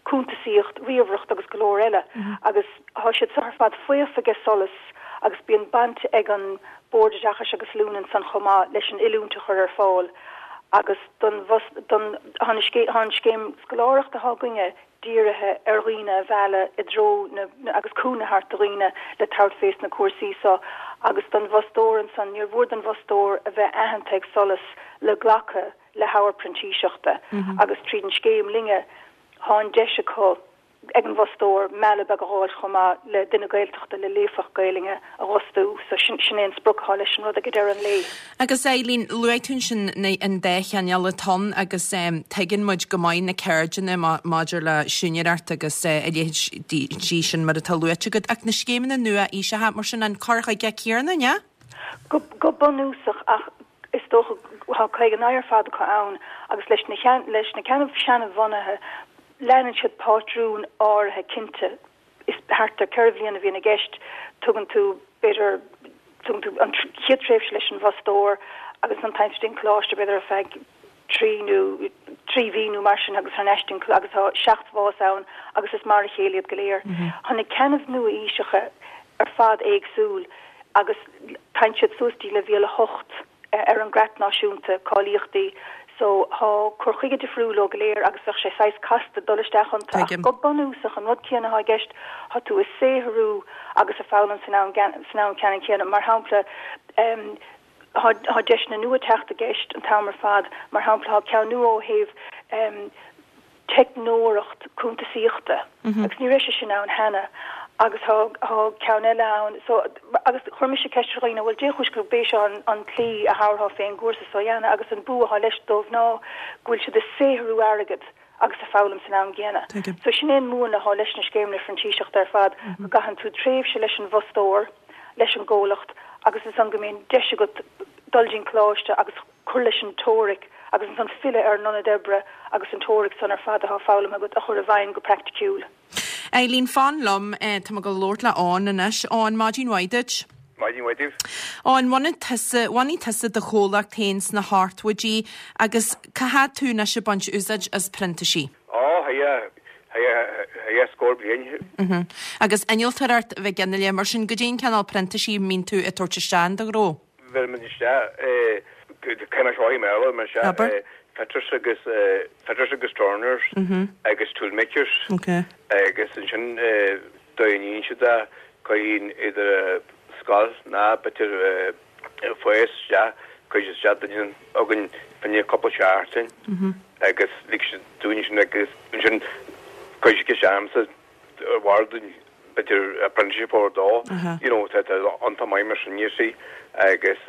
cuntasaíocht, ríomhaireacht agus go leor eile agus thá siad seo ar fad faofa age SOLAS agus bíonn baint ag an Bord Oideachais agus Oiliúna ansan chomh maith leis an oiliúint a chur ar fáil agus don don thá an scéim scoláireachta athá againne dírithe ar dhaoine a mhealladh i dtreo na agus cúnamh a thabhairt do dhaoine le tabhairt fés na cúrsaí seo agus don bhfostóir ansan níor mhór don bhfostóir a bheith aitheanta ag SOLAS le glacadh le habhar printíseachta agus tríd an scéim linne thá an deis acu ag an bhfostóir mealladh beag a dh'fháilt chomh maith le duine Gaeltachta le líofacht Gaelainne a dh'fhostú so sin sin é an sprioc athá leis an rud ag deireadh an lae. Agus Eileen, luaigh tú ansin na an dá chineál atá ann agus tuigeann muid go maith na ceirdeanna maidir le siúinéireacht agus a leithéid sin mar atá luaite agat ach na scéimeanna nua-aoiseacha mar sin an cur chuige céanna, an ea? Go go bunúsach ach Is dócha, thá 59 ar fad acu ann agus leis na leis na ceannaibh seana-bhunaithe leanann siad pátrún áirithe cinnte. Is thart ar 4 bhliain a bhíonn i gceist. Tugann tú, b'fhéidir, tugann tú an chéad tréimhse leis an bhfostóir agus ansan téann tú dtí'n coláiste b'fhéidir ar feadh trí nó trí mhí nó mar sin agus thar n-ais dtí'n agus thá 7 bhfás ann agus is mar a chéile iad go léir. Thá na ceannaibh nua-aoiseacha ar fad éagsúil. agus téann siad suas dtí leibhéal 8 ar an gCreat Náisiúnta Cáilíochtaí so thá cur chuige difriúil leo go léir agus bheadh sé saghas casta dul isteach iontu ach go bunúsach an rud céanna athá i gceist, thá tú ag saothrú agus ag foghlaim san am san am ceannann céanna. Mar shampla thá thá deiseanna nua ag teacht i gceist an t-am ar fad, mar shampla thá ceann nua ó thaobh teicneoireacht cuntasaíochta agus ní raibh sé sin ann cheana agus thá thá ceann eile ann so agus chuir mise ceist ar dhaoine bhuel dé chúis gurb é seo an an tslí a thabharfá fén gcúrsa so a dhéanamh agus an bua athá leis dóibh ná go bhfuil siad ag saothrú airgead. agus a foghlaim san am gcéanna. So sin é an múnla atá leis na scéimeanna phrintíseachta ar fad, go gcaitheann tú tréimhse leis an bhfostóir, leis an gcomhlacht agus ansan go mbíonn deis agat dul dtí'n coláiste agus cur leis an teoiric agus ansan filleadh ar an ionad oibre agus an teoiric san ar fad atá foghlamtha agat a chur i bhfeidhm go praiticiúil. Eileen, fan liom, tá mé ag dul labhairt le Eoin anois. Eoin, maidin mhaith duit. Maidin mhaith daoibh. Eoin, bhunaigh tusa, bhunaigh tusa do chomhlacht féin sna hochtóidí agus cá fhad tú anois ag baint úsáid as printísigh? Ó, haidhe, haidhe, haidhe scór bliain. Mhm. Agus innealtóireacht bheag inneall, mar sin, goidé an cineál printísigh a mbíonn tú ag tabhairt isteach in do ghnó? Bheirimid isteach, caithfidh mé seo i mBéarla, mar sea, fitters agus, fitters agus turners agus toolmakers agus ansin déanann siad é, cuireann idir scoil ná b'fhéidir fás isteach, cuireann siad isteach duine againn fá choinne cúpla seachtain agus lig siad dúinn sin agus ansin cuireann siad isteach ormsa ar bharr dúinn b'fhéidir apprenticeship a thabhairt dó, you know, tá iontach maith mar sin, you see, agus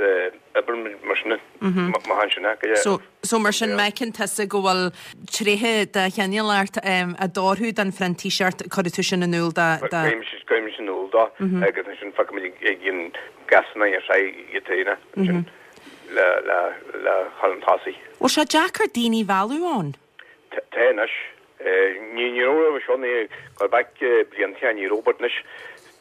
oibreann mar sin, maith ansin é, go So, so mar sin, má fheiceann tusa go bhfuil tréithe de chineál ort a d'oirfeadh don phrintíseacht, cuirfidh tú sin in iúl do, do. Cuirimid in iúl dó agus ansin feicimid ag an gcásanna ar feadh iad féin ansin le, le, le chur chun tosaigh. Bhfuil sé deacair daoine a mhealladh ann? Tá anois. Ní raibh roimhe seo, ní go back blianta ní raibh but anois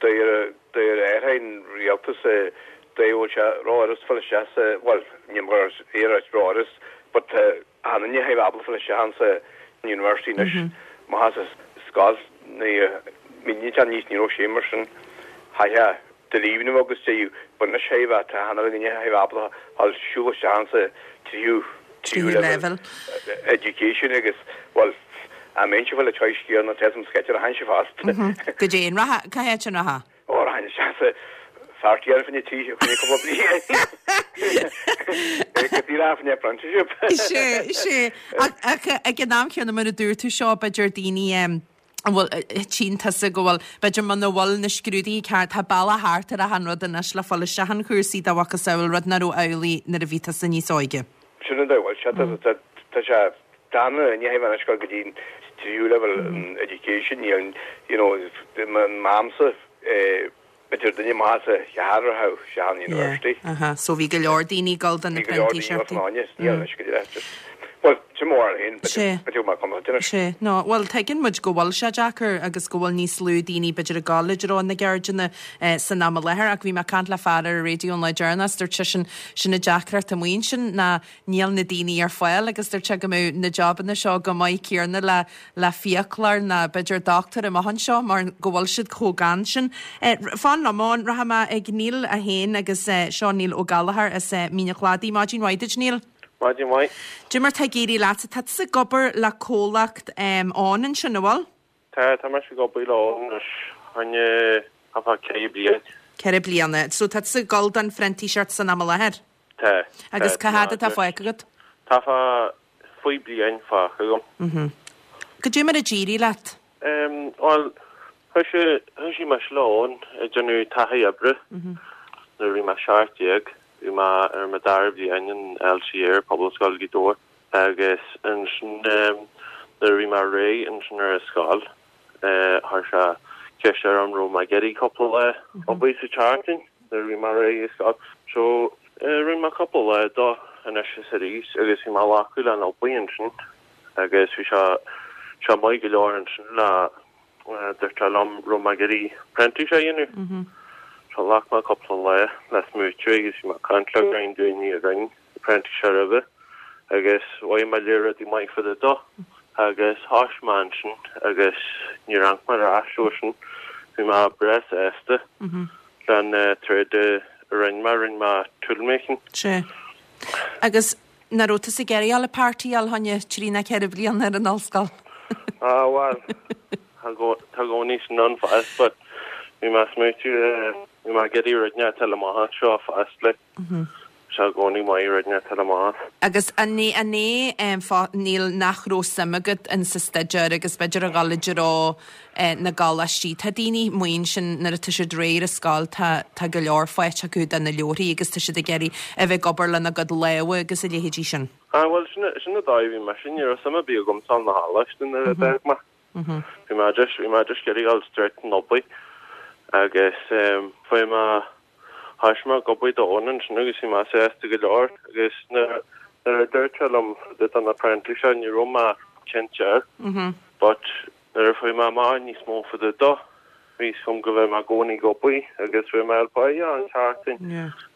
deir deir an rialtas dé bhfuil sé ró-fhurast fáil isteach sa bhuel ní mar iarracht ró-fhurast but tá achan duine thar a bheith ábalta fáil isteach ann sa university anois má tá sa scoil ní mínítear níos ní raibh sé mar sin chaithfeá do líomhnú agus de but anois thar a bheith tá achan duine thar a bheith ábalta fáil siúl isteach ann sa tríú tríú leibhéal education agus bhuel a mbeinnse fáil a choice céanna tá an sceitse a tháinig sé fast. Goidé an rachfá, cá háit an rachfá? Ó rachainn isteach sa pháirtí ar fá choinne trí fá choinne cúpla bliain. Go díreach fá choinne apprenticeship. Sé, sé. Ach ach ag an am chéanna mar a dúirt tú seo b'fhéidir daoine an bhfuil, tchíonn tusa go bhfuil, b'fhéidir muna bhfuil na scrúduithe ceart, tá bealach thart ar achan rud anois le fáil isteach in chúrsaí dá mhacasamhail, rud nach raibh amhlaidh nuair a bhí tusa níos óige. Sin an dóigh a bhfuil sé, tá, tá sé, tá an ní hé anois go dtí an tríú leibhéal an education, níl, you know, m'amsa, eh, B'fhéidir duine maith sa cheathrar a raibh isteach an university. Yeah, aha. So bhí go leor daoine ag dul do na Bhí go leor daoine ag dul printíseachtaí. Níl anois go dtí just Bhuel, sin mo bharúil féin, Sé. b'fhéidir mar cumas anois. Sé. No, bhuel, tuigeann muid go bhfuil sé deacair agus go bhfuil níos lú daoine b'fhéidir ag dul i dtreo na gceirdeanna san am i láthair ach bhí mé ag caint le fear ar an raidió an lá deireanach is dúirt seisean sin an deacracht amuigh ansin ná níl na daoine ar fáil agus dúirt sé go mbeadh na jobanna seo chomh maith céanna le le fiaclóir ná b'fhéidir dochtúir amach anseo mar go bhfuil siad chomh gann sin. Fan liom Eoin, rachaidh mé ag Neil é féin agus seo Neil Ó Gallchóir as Mín an Chladaigh. Maidin mhaith duit Neil. Maidin mhaith. Cad é mar tá ag éirí leatsa, tá tusa ag obair le comhlacht Eoin ansin, an bhfuil? Tá, tá mise ag obair le Eoin anois fá choinne thart fá 4 bliain. 4 bliana. So tá tusa ag dul don phrintíseacht san am i láthair? Tá. Agus cá fhad atá fágtha agat? Tá fá faoi bliain fágtha agam. Mhm. Goidé mar a d'éirigh leat? Em, bhuel, thoisigh, thoisigh mise le Eoin ag déanamh taithí oibre nuair a bhí mé 17. Bhí mé ar mo dara bliain in LCA ar Pobalscoil Ghaoth Dobhair agus ansin, em, nuair a bhí mé réidh ansin ar an scoil, Chuir sé ceist orm raibh mé ag iarraidh cúpla lá obair sa tseachtain nuair a bhí mé réidh ag scoil. So rinne mé cúpla lá dó anois is arís agus bhí mé glacadh le an obair ansin agus bhí sé sé maith go leor ansin le dúirt sé liom raibh mé ag iarraidh printíseacht a dhéanamh. So ghlac mé cúpla lá le smaoitiú agus bhí mé ag caint le roinnt daoine a rinne printíseacht roimhe agus mhothaigh mé léir rudaí maith fá dtaobh dó agus thoisigh mé ansin agus níor amharc mé ar ais ó sin. Bhí mé breá sásta leis an trade a rinne mé, rinne mé toolmaking. Sea. Agus nach raibh tusa ag iarraidh a dhul ag partyáil fá choinne trí nó ceithre bliana ar an ollscoil? Ah bhuel, tá i gcónaí sin ann fosta but bhí mé ag smaoitiú, bhí mé ag iarraidh rud inteacht eile amach anseo fosta like. sé i gcónaí maith rud inteacht a fháil amach. Agus an é an é an fáth Neil nach raibh suim agat in sa staidéar agus b'fhéidir a dhul i dtreo na gcoláistí? Tá daoine amuigh ansin nuair atá siad réidh ar an scoil tá tá go leor faighte acu de na leabharthaí agus tá siad ag iarraidh a bheith ag obair lena gcuid lámha agus a leithéidí sin. Ah bhuel sin sin an dóigh a bhí mise, ní raibh suim ar bith agamsa sna coláistí nuair a d'fhág mé. Bhí mé just bhí mé just ag iarraidh dul straight chun obair agus fuair mé thoisigh mé ag obair d'Eoin ansin agus bhí mé sásta go leor agus nuair nuair a dúirt sé liom fá dtaobh den apprenticeship ní raibh mé cinnte air but nuair a fuair mé amach níos mó fá dtaobh dó bhí fhios agam go bheadh mé i gcónaí ag obair agus bheadh mé ar páighe an tseachtain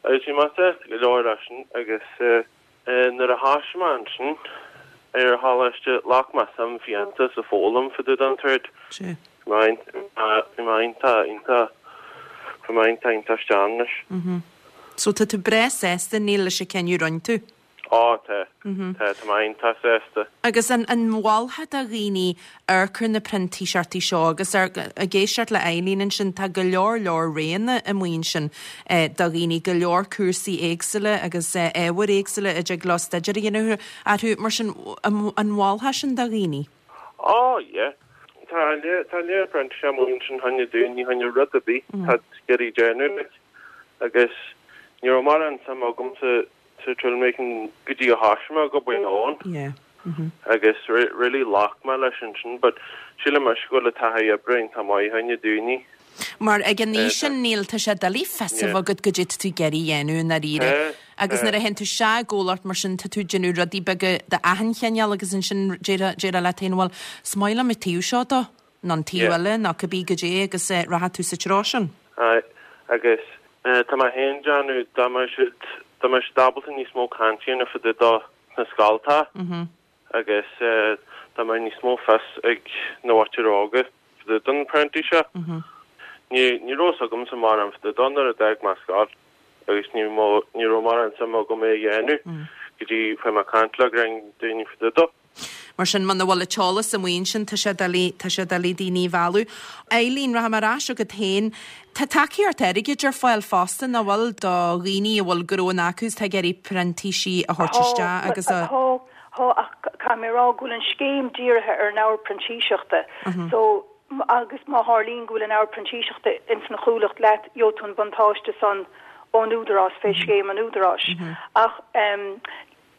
agus bhí mé sásta go leor leis sin agus Nuair a thoisigh mé ansin ar an choláiste, ghlac mé suim fiánta sa foghlaim fá dtaobh den trade. Bhí mé iontach, iontach, bhí mé iontach, iontach isteach anois. So tá tú breá sásta, Neil, leis an cinneadh a rinne tú? Á, tá. Tá, tá mé iontach sásta. Agus an mholfá do dhaoine amharc ar na printíseachtaí seo agus ar, ag éisteacht le Eileen ansin, tá go leor leor roghanna amuigh ansin do dhaoine, go leor cúrsaí éagsúla agus ábhair éagsúla a dtig leo staidéar a dhéanamh orthu. Mar sin, an mholfá sin do dhaoine? Á, yeah. Tá tá lear printíseachtaí amuigh ansin fá choinne daoine, fá choinne rud ar bith atá ag iarraidh déanamh, like. Agus ní raibh mórán suim agamsa sa toolmaking go dtí a thoisigh mé ag obair ann. Yeah. Agus really ghlac mé leis ansin but sílim anois go bhfuil an taithí oibre iontach maith fá choinne daoine. Mar ag an aois sin Neil tá sé doiligh fios a bheith agat goidé tá tú ag iarraidh a dhéanamh i ndáiríre. Agus nuair a théann tú isteach i gcomhlacht mar sin tá tú ag déanamh rudaí beaga d'achan chineál agus ansin déarfá leat féin bhuel is maith liom an taobh seo dó nó an taobh eile nó cibé goidé agus rachaidh tú sa treo sin. Aye, agus tá mé féin ag déanamh dá mbeadh siad, dá mbeadh siad ábalta níos mó cainte a dhéanamh fá dtaobh dó sna scoltacha agus dá mbeadh níos mó fios ag na mhuintir óga fá dtaobh den apprenticeship. Ní, ní raibh fhios agamsa mórán fá dtaobh dó nuair a d'fhág mé scoil agus ní, ní raibh mórán suim agam é a dhéanamh go dtí fuair mé caint le roinnt daoine fá dtaobh dó. Mar sin, muna bhfuil an t-eolas amuigh ansin, tá sé doiligh, tá sé doiligh daoine a mhealladh. Eileen, rachaidh mé ar ais chugat féin. Tá tacaíocht airgid ar fáil fosta, nach bhfuil, do dhaoine a bhfuil gnóanna acu is atá ag iarraidh printísigh a thabhairt isteach agus a. Tá, tá, ach caithfidh mé a rá go bhfuil an scéim dírithe ar an ábhar printíseachta. So, agus má tharlaíonn go bhfuil an ábhar printíseachta ins an chomhlacht leat, gheobhaidh tú an buntáiste san ón Údarás, fé scéim an Údaráis. Ach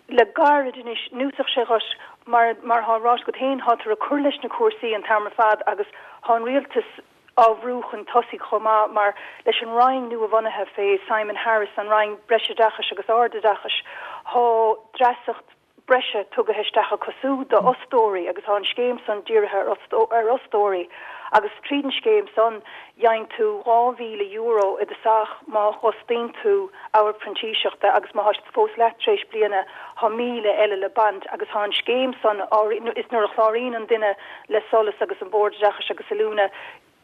Le gairid anois, núíosach sé dhuit, mar mar thá ráite agat féin, thátar ag cur leis na cúrsaí an t-am ar fad agus thá an rialtas á bhrú chun tosaigh chomh maith mar leis an Roinn nua-bhunaithe fé Simon Harris, an Roinn Breisoideachais agus Ardoideachais, thá dreasacht breise tugaithe isteach acu siúd do fhostóirí agus thá an scéim san dírithe ar fhostóirí agus tríd an scéim san gheibheann tú €2,000 i dtosach má fhostaíonn tú ábhar printíseachta agus má thá siad fós leat tar éis bliana thá 1,000 eile le baint agus thá an scéim san á is nuair a chláraíonn an duine le SOLAS agus an Bord Oideachais agus Oiliúna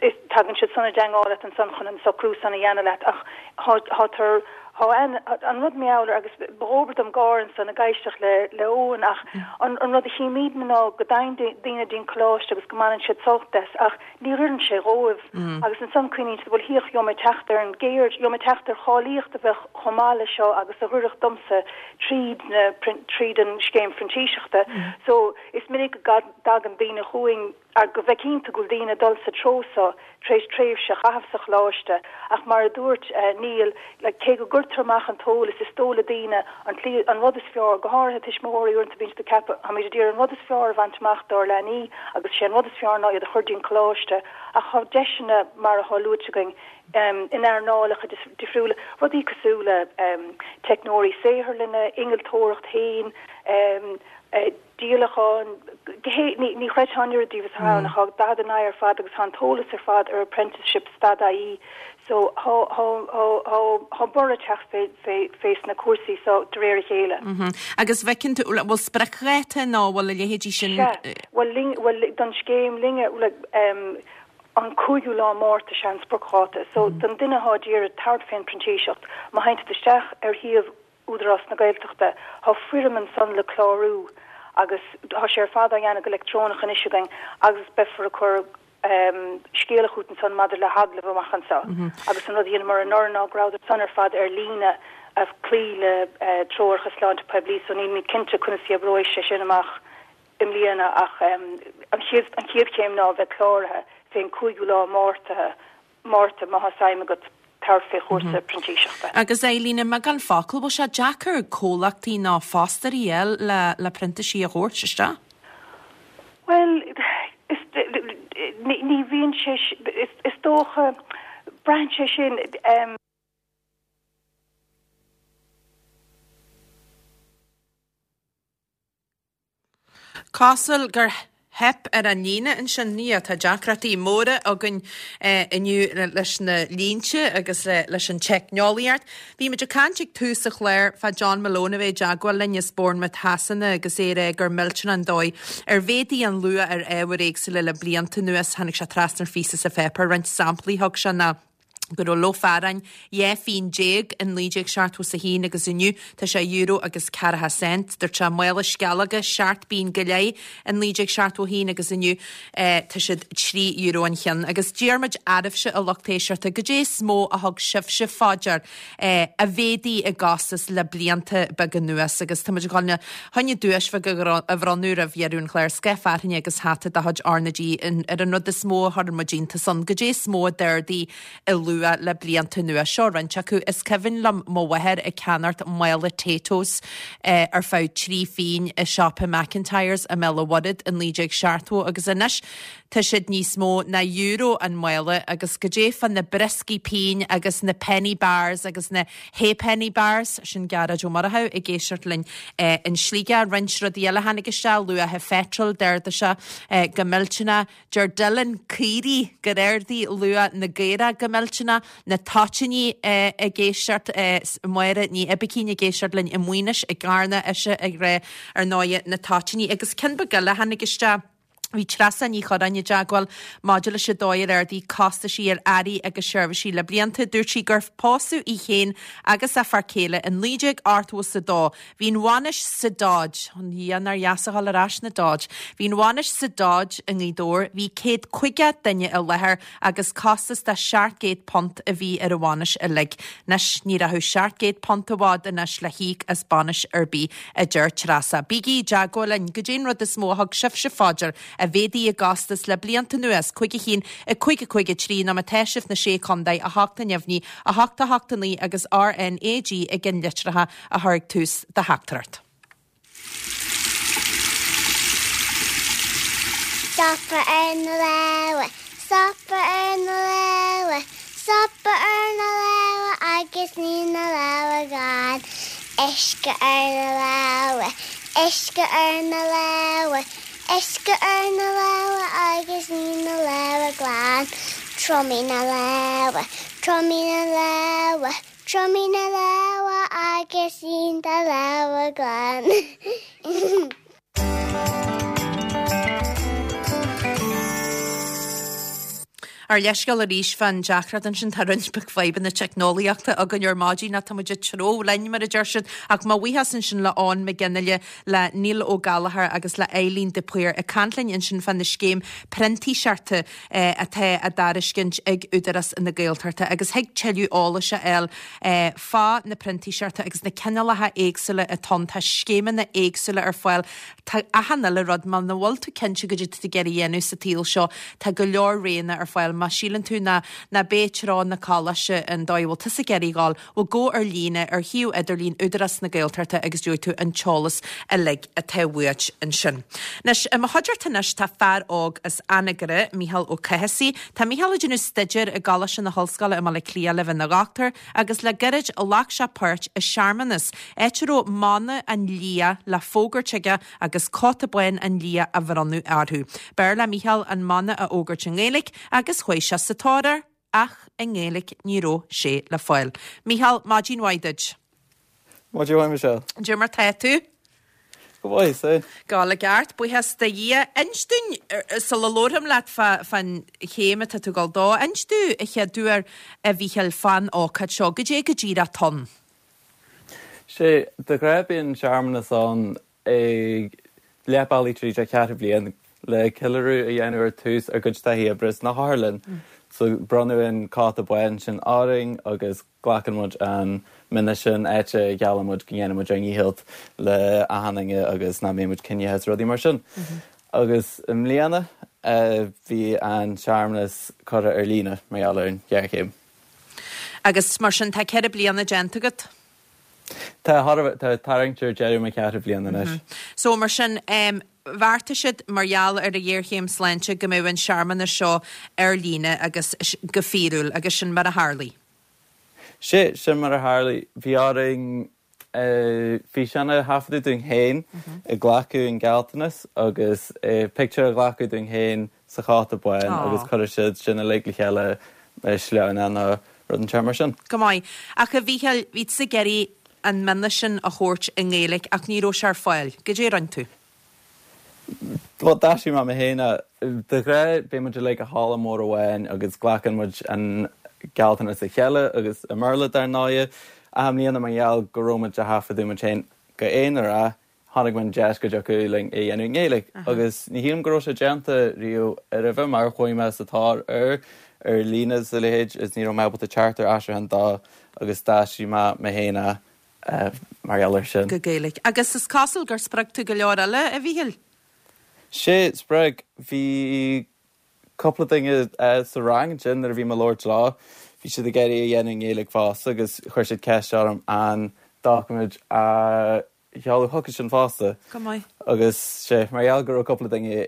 is tagann siad san i dteangmháil leat ansan chun an socrú san a dhéanamh leat ach thá thá tar thá an an rud mar gheall air agus ba dhóbair dom gáire ansan ag éisteacht le le Eoin ach an an rud a chímídne ná go dtagann daoine dtí'n coláiste agus go mbaineann siad sult as ach ní oireann sé dhóibh. Agus ansan cuimhníonn siad, bhuel, thiocfadh, gheobhaidh mé teacht ar an gceird, gheobhaidh mé teacht ar cháilíocht a bheadh chomh maith leis seo agus a dh'oirfeadh domsa tríd na, tríd an scéim phrintíseachta. So, is minic go dtagann daoine chugainn, go bhfeiceann tú go bhfuil daoine ag dul sa treo so tar éis tréimhse a chaitheamh sa choláiste ach mar a dúirt Neil, like, cé go gcuirtear amach an t-eolas, is dóigh le daoine an tslí, an rud is fearr, go háirithe tuismitheoirí uaireanta bíonn siad ag ceapadh, táimid ag iarraidh an rud is fearr a bhaint amach dár leanaí agus sé an rud is fearr ná iad a chur dtí'n coláiste ach tá deiseanna mar atá luaite againn in earnálacha difriúla, rudaí cosúil le teicneoirí saotharlainne, innealtóireacht féin, díolachán, ní chreidfeá an oiread díobh is atá ann, ach tá 49 ar fad agus tá an t-eolas ar fad ar apprenticeships dot ie so thá thá thá thá thá borradh ag teacht fé fé fés na cúrsaí so de réir a chéile. Agus bhfeiceann tú, bhfuil spriocdháta nó bhfuil a leithéidí sin? Sea, bhuel linn, bhuel don scéim linne, like an cúigiú lá Márta sea an spriocdháta so don duine athá d'iarraidh tabhairt fén printíseacht má théann siad isteach ar shuíomh Údarás na Gaeltachta. Thá foirm ansan le clárú agus thá sé ar fad á dhéanamh go leictreonach anois againn agus beifear ag cur scéala chút ansan maidir le hagallamh amach anso. Agus an rud a dheineamar anuraidh ná go rabhadar san ar fad ar líne. A cloí le treoracha sláinte poiblí so nílimid cinnte conas a oibreoidh sé sin amach i mbliana ach an chéad an chéad chéim ná a bheith cláraithe fén cúigiú lá Márta Márta má tá suim agat tabhairt fé chúrsa printíseachta. Agus Eileen, i mbeagán focal, bhfuil sé deacair comhlachtaí nó fostóirí a fháil le le printísigh a thabhairt isteach? Bhuel, is ní bhíonn sé is dócha braitheann sé sin. Cosúil gur theip ar an líne ansin. Ní hea, tá deacrachtaí móra againn inniu leis na línte agus leis an teicneolaíocht. Bhí muid ag caint ag tús an chláir fá John Malone a bheith i dteagmháil linn as Bournemouth Shasana agus é ag rá gur millteanach an dóigh ar mhéadaigh an luach ar ábhair éagsúla le blianta anuas. Tháinig sé trasna ar phíosa sa pháipéar, roinnt samplaí thug sé ná. go raibh lofa aráin 12 phingin in 1971 agus inniu tá sé euro agus ceathracha cent. Dúirt sé mála sceallóga seacht bpingin go leith in 1971 agus inniu tá siad 3 euro an cheann. Agus d'iarr muid oraibhse a lucht éisteachta goidé is mó a thug sibhse fá dear a mhéadaigh i gcostas le blianta beaga anuas agus tá muid ag dul chun duais bheag a bhronnadh roimh dheireadh an chláir, scaif fearthainne agus hata de chuid R na G ar an rud is mó a chuireann muid iontas ann, goidé is mó a d'ardaigh i luach le blianta anuas. Seo roinnt acu, Is cuimhin liom mo mháthair ag ceannacht mála Taytos ar feadh 3 phingin i siopa McIntyres i mBéal an Mhuirthead i 1970 agus anois Tá siad níos mó ná euro an mála agus goidé fá na brioscaí pinn agus na penny bars agus na ha'penny bars, sin Gearóid Ó Murchú ag éisteacht linn in Sligeach. Roinnt rudaí eile a tháinig isteach, luach an pheitril, d'ardaigh sé go millteanach. Deir Dylan caoirigh gur ardaigh luach na gcaorach go millteanach, na toitíní ag éisteacht, Máire Ní Oibicín ag éisteacht linn i Maínis i gCarna, ise ag rá ar ndóighe na toitíní agus ceann beag eile a tháinig isteach. Bhí Treasa Ní Churráin i dteagmháil maidir leis an dóigh ar ardaigh costaisí ar earraí agus seirbhísí le blianta. Dúirt sí gur pósadh í féin agus a fear céile in 1982. Bhí an bhainis sa Dodge, a Dhia nár dheas a dhul ar ais 'na Dodge. Bhí an bhainis sa Dodge i nGaoth Dobhair. Bhí 150 duine i láthair agus costas de £700 a bhí ar an bhainis uilig. Anois ní rachadh £700 i bhfad anois le híoc as bainis ar bith. a deir Treasa. Bígí i dteagmháil linn. Goidé an rud is mó a thug sibhse fá dear a mhéadaigh i gcostas le blianta anuas? 5 1 5 5 3 nó má tá sibh sna Sé Chontae, 8 a neamhní, 8 8 9 agus RNAG i gceann litreacha a chur ag tús do theachtaireacht. Stopadh ar na lámha, stopadh ar na lámha, Stopadh ar na lámha agus ní na lámha glan. Uisce ar na lámha, uisce ar na lámha, uisce ar na lámha agus ní na lámha glan. Triomaigh na lámha, triomaigh na lámha, triomaigh na lámha agus ní do lámha glan. Ár leithscéal arís fán deacracht ansin, tá roinnt beag fadhbanna teicneolaíochta againn ar maidin ach tá muid ag treabhadh linn mar a deir siad. Ach mo bhuíochas ansin le Eoin Mac Fhionnghaile, le Neil Ó Gallchóir agus le Eileen de Paor ag caint linn ansin fá na scéim printíseachta atá á dtairiscint ag Údarás na Gaeltachta agus thig tuilleadh eolais a fháil fá na printíseachta agus na cineálacha éagsúla atá ann. Tá scéimeanna éagsúla ar fáil. Tá achan uile rud. Muna bhfuil tú cinnte goidé tá tú ag iarraidh a dhéanamh sa tsaol seo, tá go leor roghanna ar fáil. Má síleann tú ná ná b'é treo na coláiste an dóigh a bhfuil tusa ag iarraidh a dhul, bhuel gabh ar líne ar shuíomh idirlín Údarás na Gaeltachta agus gheobhaidh tú an t-eolas uilig atá uait ansin. Anois, i mo chuideachta anois tá fear óg as Anagaire, Mícheál Ó Cathasaigh. Tá Mícheál ag déanamh staidéir i gColáiste na hOllscoile i mBaile Átha Cliath le bheith ina dhochtúir agus le gairid ghlac sé páirt i searmanas, áit a raibh mana an lia le fógairt aige agus cóta bán an lia á bhronnadh orthu. B'fhearr le Mícheál an mana a fhógairt i nGaeilge agus chuaigh sé sa tóir air ach i nGaeilge ní raibh sé le fáil. Mícheál, maidin mhaith duit. Maidin mhaith Michelle. Cad é mar tá tú? Go maith, is é. Go hálainn ceart, buíochas do Dhia. Inis dúinn, sula labharfam leat fán chéim atá tú ag dul dó, inis dúinn a chéaduair, a Mhíchíl, fán ócáid seo. Goidé go díreach atá ann? Sé, de ghnáth bíonn searmanas ann ag leath bealaigh tríd an cheathrú bliain. le ceiliúradh a dhéanamh ar tús ár gcuid taithí oibre sna hotharlann. So bronnadh an cóta bán sin orainn agus glacann muid an mionn sin áit a gheallann muid go ndéanfaidh muid ár ndícheall le achan duine agus nach mbeidh muid ciníoch is rudaí mar sin. Agus i mbliana bhí an searmanas curtha ar líne mar gheall ar an ghéarchéim. Agus mar sin tá 4 bliana déanta agat? Tá, tá tarraingt ar deireadh mo cheathrú bliain anois. So mar sin, bheartaigh siad mar gheall ar an ghéarchéim sláinte go mbeadh an searmanas seo ar líne agus go fíorúil agus sin mar a tharlaigh. Sea, sin mar a tharlaigh. Bhí orainn físeán a thaifeadadh dúinn féin ag glacadh an gealltanas agus pictiúr a ghlacadh dúinn féin sa chóta bán agus cuireadh siad sin uilig le chéile i sleamhnán nó rud inteacht mar sin. Go maith. Ach a Mhícheáil, bhí tusa ag iarraidh an mionn sin a thabhairt i nGaeilge ach ní raibh sé ar fáil. Goidé a rinne tú? Bhuel, d'aistrigh mé mé féin é. De ghnáth, bíonn muid uilig i halla mór amháin agus glacann muid an gealltanas le chéile agus i mBéarla dar ndóigh. Ach i mbliana mar gheall go raibh muid a thaifeadadh muid féin go aonarach, chonaic mé an deis go dtiocfadh linn é a dhéanamh i nGaeilge agus ní shílim go raibh sé déanta riamh roimhe mar chuaigh mé sa tóir air ar líne is a leithéid is ní raibh mé ábalta teacht ar aistriúchán dó agus d'aistrigh mé mé féin é mar gheall air sin. Go Gaeilge. Agus is cosúil gur spreag tú go leor eile, a Mhíchíl? Sea, spreag. Bhí cúpla duine sa rang ansin nuair a bhí mé ag labhairt leo, bhí siad ag iarraidh é a dhéanamh i nGaeilge fosta agus chuir siad ceist orm an doiciméad a sheoladh chucu sin fosta. Go maith. Agus sea, mar gheall go raibh cúpla duine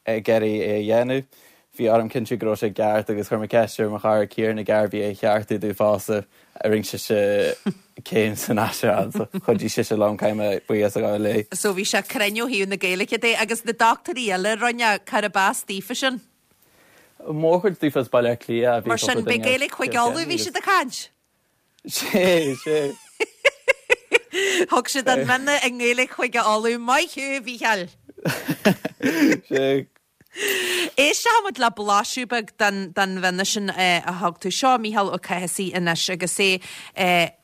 ag iarraidh é a dhéanamh, bhí orm cinntiú go raibh sé ceart agus chuir mé ceist ar mo chara Ciarán ag Garvey é a cheartú domh fosta. Rinne sise céim san aistriúchán so chuidigh sise liom, caithfidh mé buíochas a ghabháil léi. So bhí sé cruinn ó thaobh na Gaeilge de agus na dochtúirí eile a rinne, cárb as daofa sin? Mórchuid daofa as Baile Átha Cliath a bhí Mar sin, cúpla b'é duine as Gaeilge Chúige Cill Uladh a bhí Chainnigh siad ag caint? Sea, sea. Thug siad an mionn i nGaeilge Chúige Uladh. Maith thú, a Mhícheáil! Sea. Éisteoidh muid le blaiseadh beag den den mhionn sin a thug tú. Seo Mícheál Ó Cathasaigh anois agus é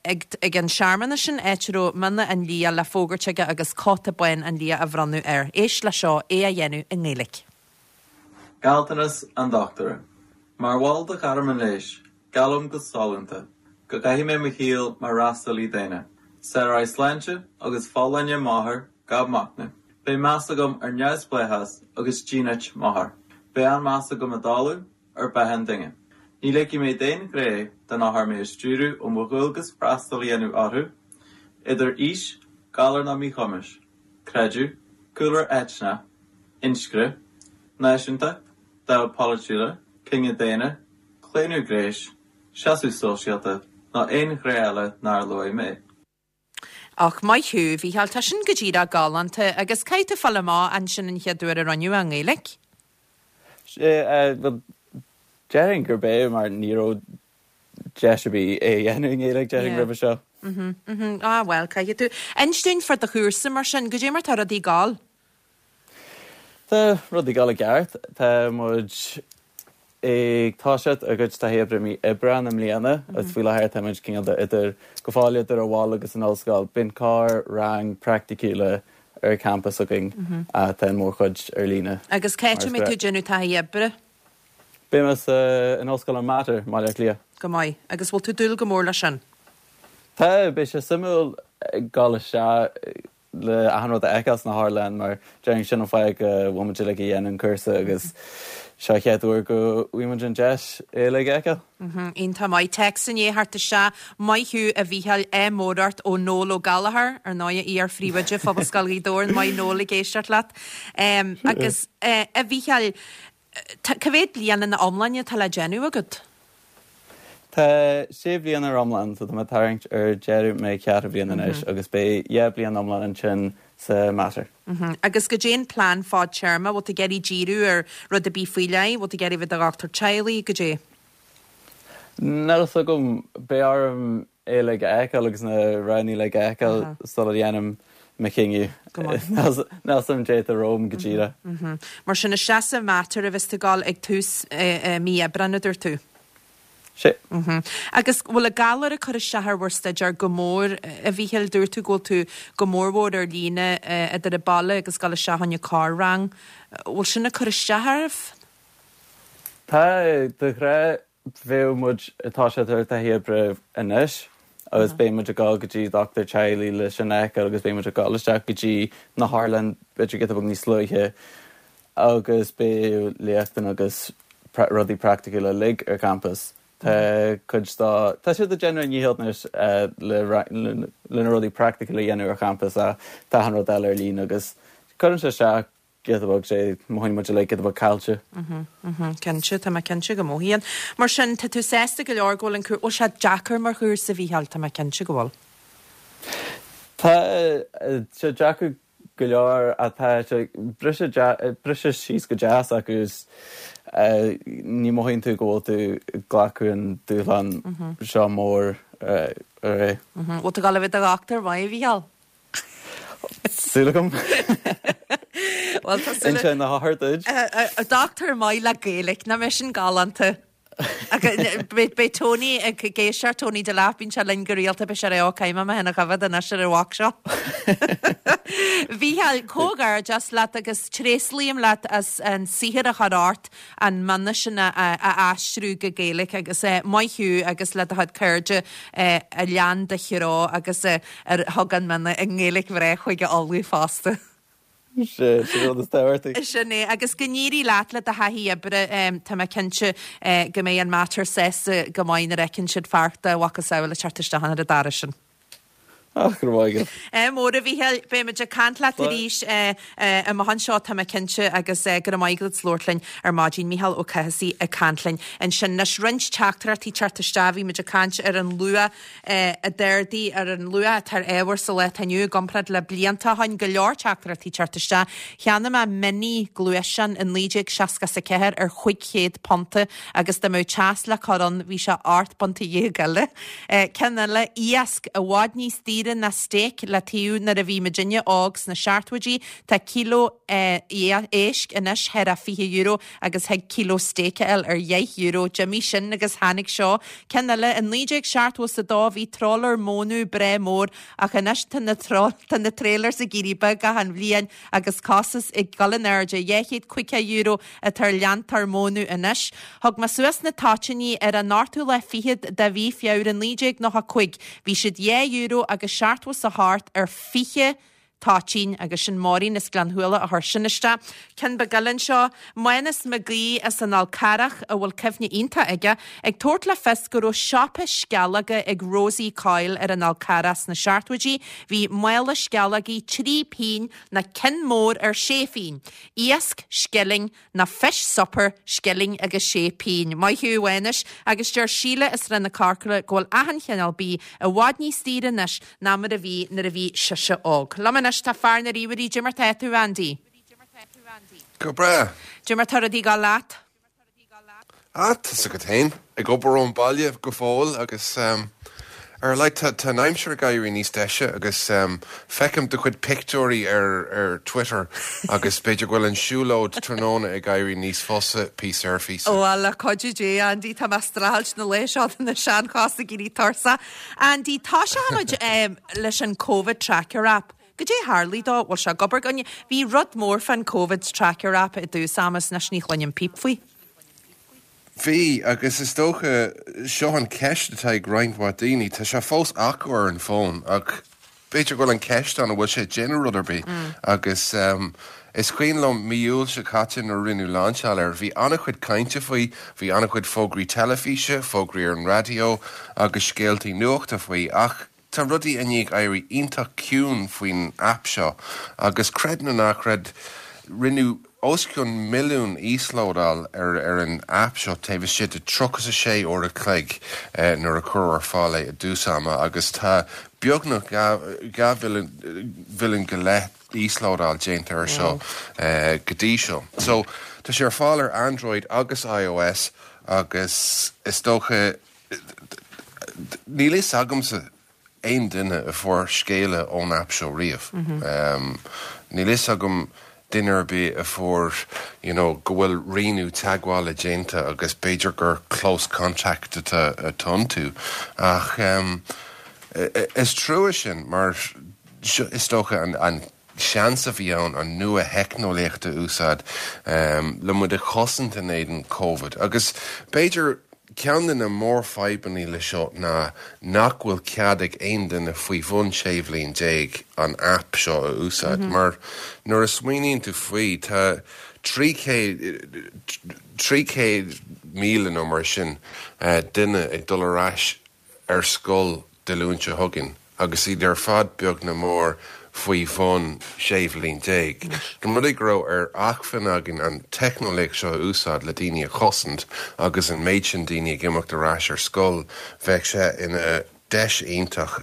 ag ag an searmanas sin, áit a raibh mionn an lia le fógairt aige agus cóta bán an lia á bhronnadh air. Éist le seo, é á dhéanamh i nGaeilge. Gealltanas an Dochtúra. Mar bhall de ghairm an leighis, Geallaim go sollúnta go gcaithfidh mé mo shaol mar fhreastalaí daonna, Sáróidh sláinte agus folláine m'othar gach machnamh. Beidh meas agam ar neamhspleáchas agus dínit m'othar. Beidh an-mheas agam i dtalamh ar beatha an duine. Ní ligfidh mé d'aon ghné den othar mé a stiúradh ó mo dhualgas freastal a dhéanamh orthu, idir aois, galar nó míchumais, creideamh, cúlra eitneach, inscne, náisiúntacht, dáimh polaitiúla, cine daonna, claonadh gnéis, seasamh sóisialta ná aon ghné eile nár luaigh mé. Ach maith thú, a Mhícheáil, tá sin go díreach galánta. Agus caithfidh tú fáil amach ansin an chéad uair a rinneadh é i nGaeilge. Sea, bhuel, déarfainn gurb é mar ní raibh deis ar bith é a dhéanamh i nGaeilge, déarfainn, roimhe seo. Mhm, mhm. Ah, bhuel, caithfidh tú. Inis dúinn fá do chúrsa mar sin, goidé mar tá rudaí ag gabháil? Tá rudaí ag gabháil i gceart. Tá muid ag toiseacht ár gcuid taithí oibre mí Aibreán i mbliana agus faoi láthair tá muid cineál de idir, go fóill idir an bhaile agus an ollscoil. Bíonn corr rang praiticiúla ar campas againn ach tá an mhórchuid ar líne. Agus cá háit a mbeidh tú ag déanamh taithí oibre? Beidh mé sa, in Ollscoil an Mater i mBaile Átha Cliath. Go maith. Agus bhfuil tú ag dúil go mór leis sin? Tá, beidh sé suimiúil dul isteach le achan rud a fheiceáil sna hotharlann mar déarfainn sin an fáth go bhfuil muid uilig ag déanamh an cúrsa agus seo an chéad uair go bhfaighidh muid an deis é uilig a fheiceáil. Iontach maith. Téacs i ndiaidh theacht isteach. Maith thú a Mhícheáil, ádh mór ort ó Noel Ó Gallchóir, ar ndóigh, iar-phríomhoide Phobalscoil Ghaoth Dobhair. Maith Noel ag éisteacht leat. Agus a Mhícheáil, Tá, cá mhéad bliain ina iomláine atá le déanamh agat? Tá sé bhliain ar iomlán, so tá mé ag tarraingt ar deireadh mo cheathrú bhliain anois agus beidh 2 bliain iomlán ansin sa Mater. Agus goidé an plean fadtéarma, bhfuil tú ag iarraidh díriú ar rud ar bith faoi leith, bhfuil tú ag iarraidh bheith i do dhochtúir teaghlaigh, goidé? Níl a fhios agam, beidh orm é uilig a fheiceáil agus na roghanna uilig a fheiceáil sula dhéanaim mo chinneadh. Níl a fhios agam goidé atá romham go díreach. Mar sin, isteach sa Mater a bheas tú ag dul ag tús mí Aibreáin, a dúirt tú? Sea. Agus bhfuil an galar ag cur isteach ar bhur staidéar go mór, a Mhíchíl? Dúirt tú go bhfuil tú go mórmhór ar líne, idir an baile agus dul isteach chun an corr-rang. Bhfuil sin ag cur isteach oraibh? Tá, de ghnáth bheadh muid ag toiseacht ar taithí oibre anois agus beidh muid ag dul go dtí dochtúir teaghlaigh le sin a fheiceáil agus beidh muid ag dul isteach go dtí na hotharlann b'fhéidir giota beag níos luaithe agus beidh léachtanna agus rudaí praiticiúla uilig ar campas. Tá cuid dá, tá siad ag déanamh a ndícheall anois le le na rudaí praiticiúla a dhéanamh ar champas ach tá achan rud eile ar líne agus cuireann sé isteach giota beag sé, mothaíonn muid uilig giota beag caillte. Cinnte, tá mé cinnte go mothaíonn. Mar sin, tá tú sásta go leor go bhfuil an cúrsa, bhfuil sé deacair mar chúrsa, a Mhícheáil, tá mé cinnte go bhfuil. Tá sé deacair go leor ach tá sé briste briste síos go deas agus ní mothaíonn tú go bhfuil tú ag glacadh an dúshlán seo mór ar é. Bhfuil tú ag dul a bheith i do dhochtúir maith, a Mhícheáil? Súil agam. Bhuel, tá súil. Inseoidh na hothair duit. Dochtúir maith le Gaeilge, nach mbeidh sin galánta? Beidh Tony ag éisteacht, Tony Delap, bíonn sé linn go rialta, beidh sé ag rá, ó caithfidh mé mé féin a choimhéad anois ar an bhoc seo. Mhícheáil, comhghairdeas leat agus tréaslaím leat as an saothar a chur ort an mana sin a aistriú go Gaeilge agus maith thú agus le do chuid cairde a lean do threo agus a thug an mana i nGaeilge bhreá Chúige Uladh fosta. Sin an rud is tábhachtaí. Sin é. Agus go n-éirí leat le do thaithí oibre. Tá mé cinnte go mbeidh an Mater sásta go maith nuair a fheiceann siad fear dá mhacasamhail ag teacht isteach ar an doras sin. Ach, go raibh maith agat. Ádh mór, a Mhíchíl. Beidh muid ag caint leat arís amach anseo, tá mé cinnte, agus go raibh maith agat as labhairt linn ar maidin. Mícheál Ó Cathasaigh ag caint linn ansin. Anois, roinnt teachtaireachtaí teacht isteach. Bhí muid ag caint ar an luach a d'ardaigh ar an luach atá ar ábhair sa lá atá inniu i gcomparáid le blianta ó shin. Go leor teachtaireachtaí teacht isteach. Cheannaigh mé Mini gluaisteán i 1964 ar chúig chéad punta agus dá mbeadh teas le cur ann bhí sé ocht bpunta dhéag eile. Ceann eile, iasc, i bhfad níos daoire ná steak le taobh nuair a bhí muidinne óg sna seachtóidí. Tá kilo éisc anois thar a €20 agus thig kilo steak a fháil ar dheich euro. D'imigh sin agus tháinig seo. Ceann eile, i 1972 bhí trawler mónadh breá mór ach anois tá na tá na trailers ag éirí beag achan bhliain agus costas ag dul in airde. €250 atá ar leantóir mónadh anois. Thug mé suas na toitíní ar an ochtú lá fichead de mhí Feabhra 1995. Bhí siad dhá euro agus seachtó is a hocht ar 20 toitín agus sin Máirín as Gleann Shuala a chuir sin isteach. Ceann beag eile anseo, Mánas Mac Aoidh as an Fhál Carrach, a bhfuil cuimhne iontach aige, ag tabhairt le fios go raibh siopa sceallóga ag Rosie Coyle ar an Fhál Carrach sna seachtóidí. Bhí mála sceallógaí 3 phingin nó ceann mór ar sé phingin. Iasc, scilling, Nó fish supper, scilling agus sé pingin. Maith thú, a Mhánais. Agus deir Síle as Srath na Corcra go bhfuil achan chineál bídh i bhfad níos daoire anois ná mar a bhí nuair a bhí sise óg. Liom anois tá fear na ríomhairí, Cad é mar tá tú, Andy? Go breá. Cad é mar tá rudaí ag dul leat? Ah, tá's agat féin, ag obair ón baile go fóill agus ar a laghad tá tá an aimsir ag éirí níos deise agus feicim do chuid pictiúirí ar ar Twitter agus b'fhéidir go bhfuil an siúlóid tráthnóna ag éirí níos fusa píosa ar phíosa. Bhuel, le cuidiú Dé, Andy, tá mé ag streachailt na laetha seo tá na seanchosa ag éirí tuirseach. Andy, toiseochaimid leis an Covid Tracker app. Goidé a tharlaigh dó? Bhfuil sé ag obair againne? Bhí rud mór fán Covid Tracker app i dtús ama is anois ní chluinim píp faoi. Bhí, agus is dócha, seo an cheist atá ag roinnt mhaith daoine, tá sé fós acu ar an bhfón ach b'fhéidir go bhfuil an cheist ann an bhfuil sé ag déanamh rud ar bith agus is cuimhin liom mí Iúil seo caite nuair a rinneadh lainseáil air, bhí an-chuid cainte faoi, bhí an-chuid fógraí teilifíse, fógraí ar an raidió agus scéaltaí nuachta faoi ach Tá rudaí i ndiaidh éirí iontach ciúin faoin aip seo agus creid nó ná creid, rinneadh os cionn milliún íoslódáil ar ar an aip seo taobh istigh de 36 uair a chloig nuair a cuireadh ar fáil é i dtús ama agus tá beagnach 2 mhilliún go leith íoslódáil déanta air seo go dtí seo. So, tá sé ar fáil ar Android agus iOS agus is dócha Níl fhios agamsa aon duine a fuair scéala ón aip seo riamh. Níl fhios agam. duine ar bith a fuair you know go bhfuil rianú teagmhála déanta agus b'fhéidir gur close contact atá iontu ach is trua sin mar is dócha an seans a bhí ann an nua-theicneolaíocht a úsáid le muid a chosaint in éadan Covid agus b'fhéidir ceann de na mórfhadhbanna le seo ná nach bhfuil cead ag aon duine faoi bhun 16 bhliain an aip seo a úsáid mar nuair a smaoiníonn tú faoi tá 300 300,000 nó mar sin duine ag dul ar ais ar scoil Dé Luain seo chugainn agus iad ar fad beag nó mór faoi bhun 16 bhliain. Dá mba rud é go raibh ar acmhainn againn an teicneolaíocht seo a úsáid le daoine a chosaint agus an méid sin daoine ag imeacht ar ais ar scoil, bheadh sé ina deis iontach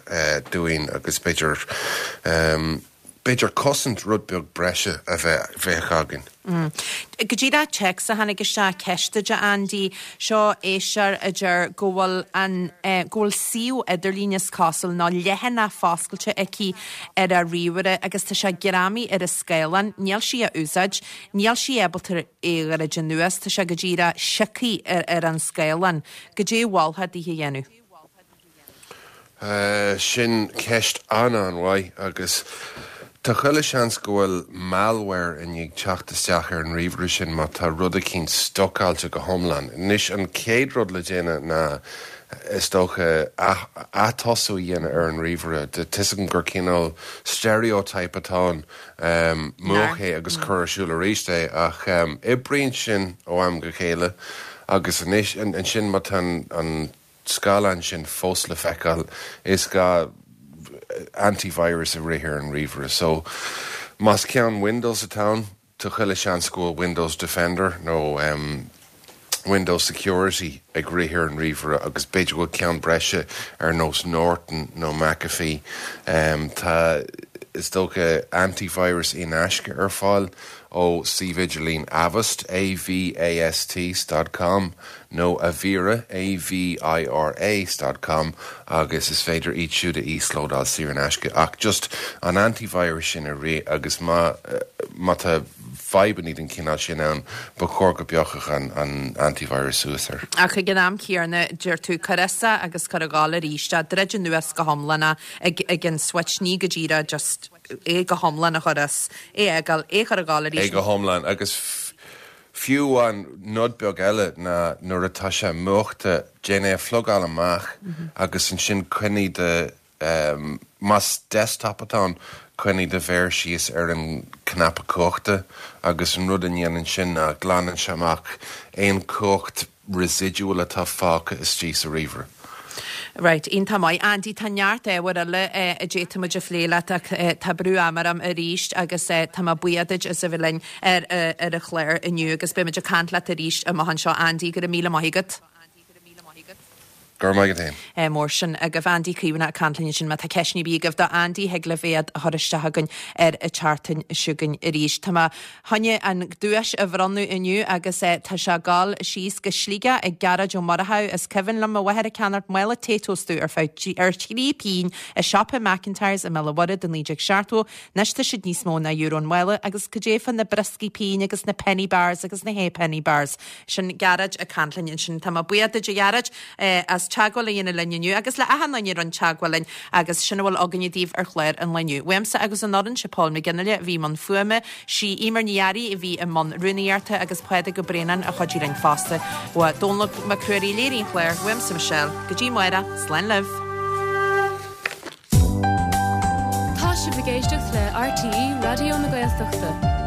dúinn agus b'fhéidir b'fhéidir cosaint rud beag breise a bheadh againn. Go díreach téacs a tháinig isteach, ceist duit a Andy. Seo éisteoir a deir go bhfuil an, go bhfuil suíomh idirlín is cosúil, nó leathanach foscailte aici ar a ríomhaire agus tá sé greamaithe ar an scáileán, níl sí á úsáid, níl sí ábalta é a dhruid anuas, tá sé go díreach sioctha ar an scáileán. Goidé a mholfá dithe a dhéanamh? Sin ceist an-an-mhaith agus tá chuile sheans go bhfuil malware i ndiaidh teacht isteach ar an ríomhaire sin má tá rud eicínt stucáilte go hiomlán. Anois an chéad rud le déanamh ná is dócha atosú a dhéanamh ar an ríomhaire. Tá 'fhios agam gur cineál stereotype atá ann, múch é agus cuir ar siúl arís é ach oibríonn sin ó am go chéile agus anois ansin má tá an scáileán sin fós le feiceáil, is gá antivirus a rith ar an ríomhaire. So, más ceann Windows atá ann, tá chuile seans go bhfuil Windows Defender nó Windows Security ag rith ar an ríomhaire agus b'fhéidir go bhfuil ceann breise ar nós Norton nó McAfee. Tá, is dócha, antivirus in aisce ar fáil ó suíomh idirlín Avast, A-V-A-S-T, dot com. nó Avira, A-V-I-R-A, dot com agus is féidir iad siúd a íoslódáil saor in aisce ach just an antivirus sin a rith agus má má tá fadhbanna den chineál sin ann ba chóir go bpiocfadh an an antivirus suas air. Ach ag an am céanna deir tú cuir as é agus cuir ag gabháil arís é, druid anuas go hiomlán é ag ag an switch ní go díreach just é go hiomlán a chur as, é a fhágáil, é a chur ag gabháil arís. É go hiomlán agus Fiú amháin, nod beag eile ná nuair atá sé múchta, déan é a phlugáil amach agus ansin coinnigh do, más desktop atá ann, coinnigh do mhéar síos ar an cnaipe cumhachta agus an rud a ndéanann sin ná glanann sé amach aon chumhacht residual atá fágtha istigh sa ríomhaire. Right, iontach maith. Andy, tá neart ábhair eile a d'fhéadfadh muid a phlé leat ach tá brú ama orm arís agus tá mé buíoch duit as a bheith linn ar ar an chlár inniu agus beidh muid ag caint leat arís amach anseo. Andy, go raibh míle maith agat. Go raibh maith agat féin. Mór sin agaibh. Andy Caomhánach ag caint linn ansin. Má tá ceisteanna ar bith agaibh do Andy, thig libh iad a chur isteach chugainn ar an tseachtain seo chugainn arís. Tá mé chun an duais a bhronnadh inniu agus tá sé ag dul síos go Sligeach ag Gearóid Ó Murchú. Is cuimhin liom mo mháthair ag ceannacht mála Taytos domh ar feadh ar thrí pingin i siopa McIntyres i mBéal an Mhuirthead i 1970. Anois tá siad níos mó ná euro an mála agus cad é fá na brioscaí pingine agus na penny bars agus na ha'penny bars. Sin Gearóid ag caint linn ansin. Tá mé buíoch duit a Ghearóid as teagmháil a dhéanamh linn inniu agus le achan duine a rinne teagmháil linn agus sin a bhfuil againne daoibh ar chlár an lae inniu. Uaimse agus ón fhoireann, sé Paul McGinley a bhí i mbun fuaime, sí Eimear Ní Fhearraigh a bhí i mbun rúnaíochta agus Pádraig Ó Braonáin a chuidigh linn fosta. Uaidh Dónal Mac Ruairí a léirigh an clár, uaimse Michelle. Go dtí amárach, slán libh. Tá sibh ag éisteacht le RTÉ Raidió na Gaeltachta.